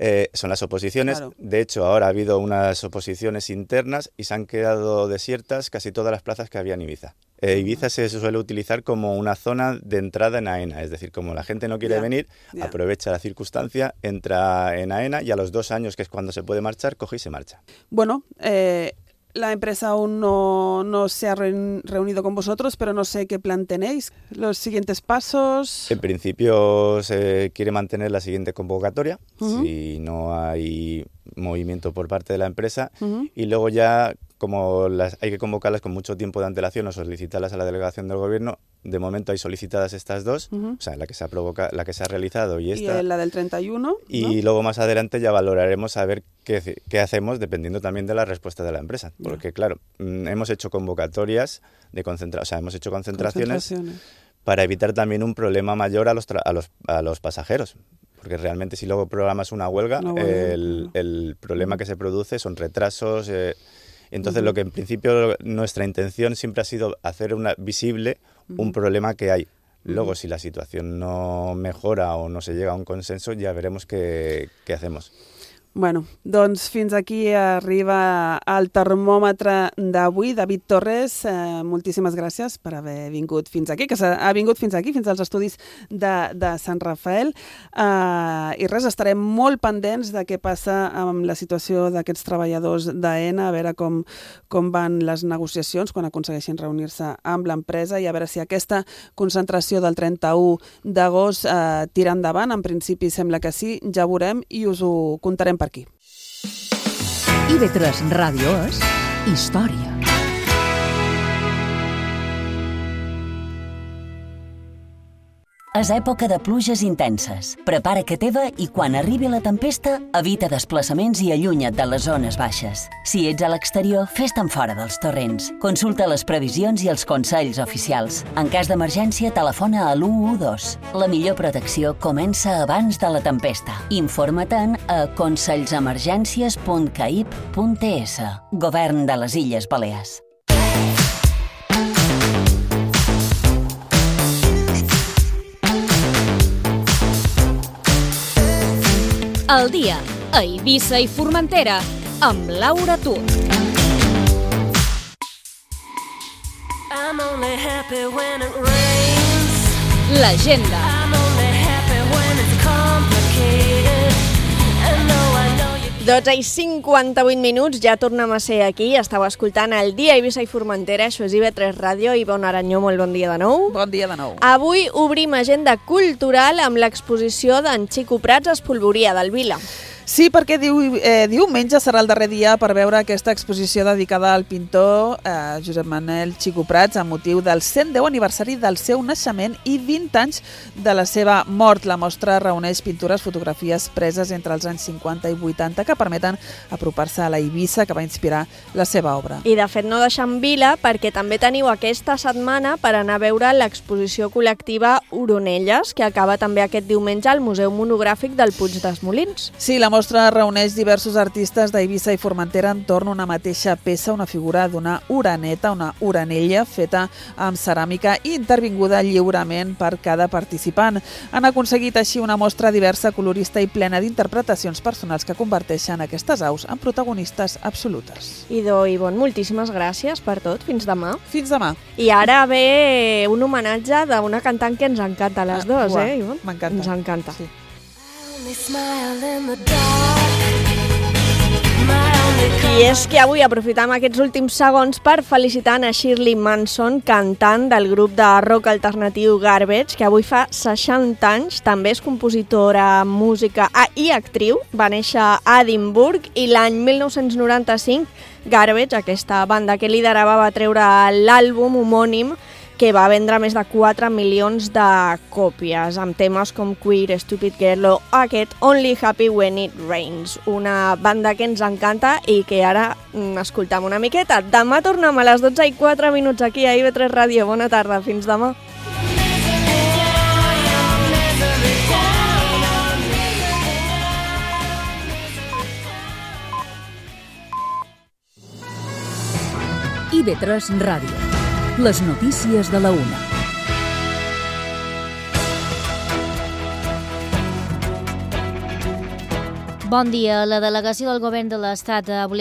L: Eh, son las oposiciones. Claro. De hecho, ahora ha habido unas oposiciones internas y se han quedado desiertas casi todas las plazas que había en Ibiza. Eh, Ibiza se suele utilizar como una zona de entrada en AENA, es decir, como la gente no quiere yeah. venir, yeah. aprovecha la circunstancia, entra en AENA y a los dos años, que es cuando se puede marchar, coge y se marcha.
D: Bueno, eh... la empresa aún no, no se ha reunido con vosotros, pero no sé qué plan tenéis. ¿Los siguientes pasos?
L: En principio se quiere mantener la siguiente convocatoria, uh-huh. si no hay movimiento por parte de la empresa, uh-huh. y luego ya, como las, hay que convocarlas con mucho tiempo de antelación o solicitarlas a la delegación del gobierno, de momento hay solicitadas estas dos, uh-huh. o sea, la que se ha provoca, la que se ha realizado y esta.
D: Y la del treinta y uno.
L: Y
D: ¿no?
L: luego más adelante ya valoraremos a ver qué, qué hacemos dependiendo también de la respuesta de la empresa. Yeah. Porque claro, hemos hecho convocatorias de concentración, o sea, hemos hecho concentraciones, concentraciones para evitar también un problema mayor a los, tra- a los, a los pasajeros. Porque realmente si luego programas una huelga, una huelga el, no. el problema que se produce son retrasos. Eh, entonces uh-huh. lo que en principio nuestra intención siempre ha sido hacer una, visible uh-huh. un problema que hay. Luego uh-huh. si la situación no mejora o no se llega a un consenso, ya veremos qué, qué hacemos.
D: Bueno, doncs fins aquí arriba el termòmetre d'avui. David Torres, eh, moltíssimes gràcies per haver vingut fins aquí, que ha vingut fins aquí, fins als estudis de, de Sant Rafael. Eh, I res, estarem molt pendents de què passa amb la situació d'aquests treballadors d'AENA, a veure com, com van les negociacions quan aconsegueixin reunir-se amb l'empresa i a veure si aquesta concentració del trenta-u d'agost eh, tira endavant. En principi sembla que sí, ja veurem i us ho contarem per aquí.
B: I V tres Ràdio és història.
M: És època de pluges intenses. Prepara que teva i quan arribi la tempesta, evita desplaçaments i allunya't de les zones baixes. Si ets a l'exterior, fes-te'n fora dels torrents. Consulta les previsions i els consells oficials. En cas d'emergència, telefona a l'u u dos. La millor protecció comença abans de la tempesta. Informa-te'n a consellsemergències punt caip punt es. Govern de les Illes Balears.
A: El dia a Eivissa i Formentera amb Laura Tur. L'agenda.
C: dotze i cinquanta-vuit minuts, ja tornem a ser aquí. Estàu escoltant el dia a Eivissa i Formentera, això és I V tres Ràdio. Ivonne Aranyó, molt bon dia de nou.
D: Bon dia de nou.
C: Avui obrim agenda cultural amb l'exposició d'en Xico Prats, Espolvoria del Vila.
D: Sí, perquè diu, eh, diumenge serà el darrer dia per veure aquesta exposició dedicada al pintor eh, Josep Manel Xico Prats amb motiu del cent deu aniversari del seu naixement i vint anys de la seva mort. La mostra reuneix pintures, fotografies preses entre els anys cinquanta i vuitanta que permeten apropar-se a la Eivissa que va inspirar la seva obra.
C: I de fet no deixem vila perquè també teniu aquesta setmana per anar a veure l'exposició col·lectiva Oronelles, que acaba també aquest diumenge al Museu Monogràfic del Puig dels Molins.
D: Sí, la mostra reuneix diversos artistes d'Eivissa i Formentera entorn a una mateixa peça, una figura d'una oraneta, una oranella feta amb ceràmica i intervinguda lliurement per cada participant. Han aconseguit així una mostra diversa, colorista i plena d'interpretacions personals que converteixen aquestes aus en protagonistes absolutes.
C: Idò, Ivonne, moltíssimes gràcies per tot. Fins demà.
D: Fins demà.
C: I ara ve un homenatge d'una cantant que ens encanta a les dues,
D: ah,
C: eh, Ivonne?
D: M'encanta.
C: Ens encanta.
D: Sí.
C: I és que avui aprofitam aquests últims segons per felicitar a Shirley Manson, cantant del grup de rock alternatiu Garbage, que avui fa seixanta anys, també és compositora, música i actriu. Va néixer a Edimburg i l'any mil nou-cents noranta-cinc Garbage, aquesta banda que liderava, va treure l'àlbum homònim que va vendre més de quatre milions de còpies, amb temes com Queer, Stupid Girl o aquest Only Happy When It Rains, una banda que ens encanta i que ara mm, escoltam una miqueta. Demà tornem a les dotze i quatre minuts aquí a I V tres Ràdio. Bona tarda, fins demà.
B: I V tres Ràdio. Les notícies de la una.
N: Bon dia. La delegació del Govern de l'Estat ha obligat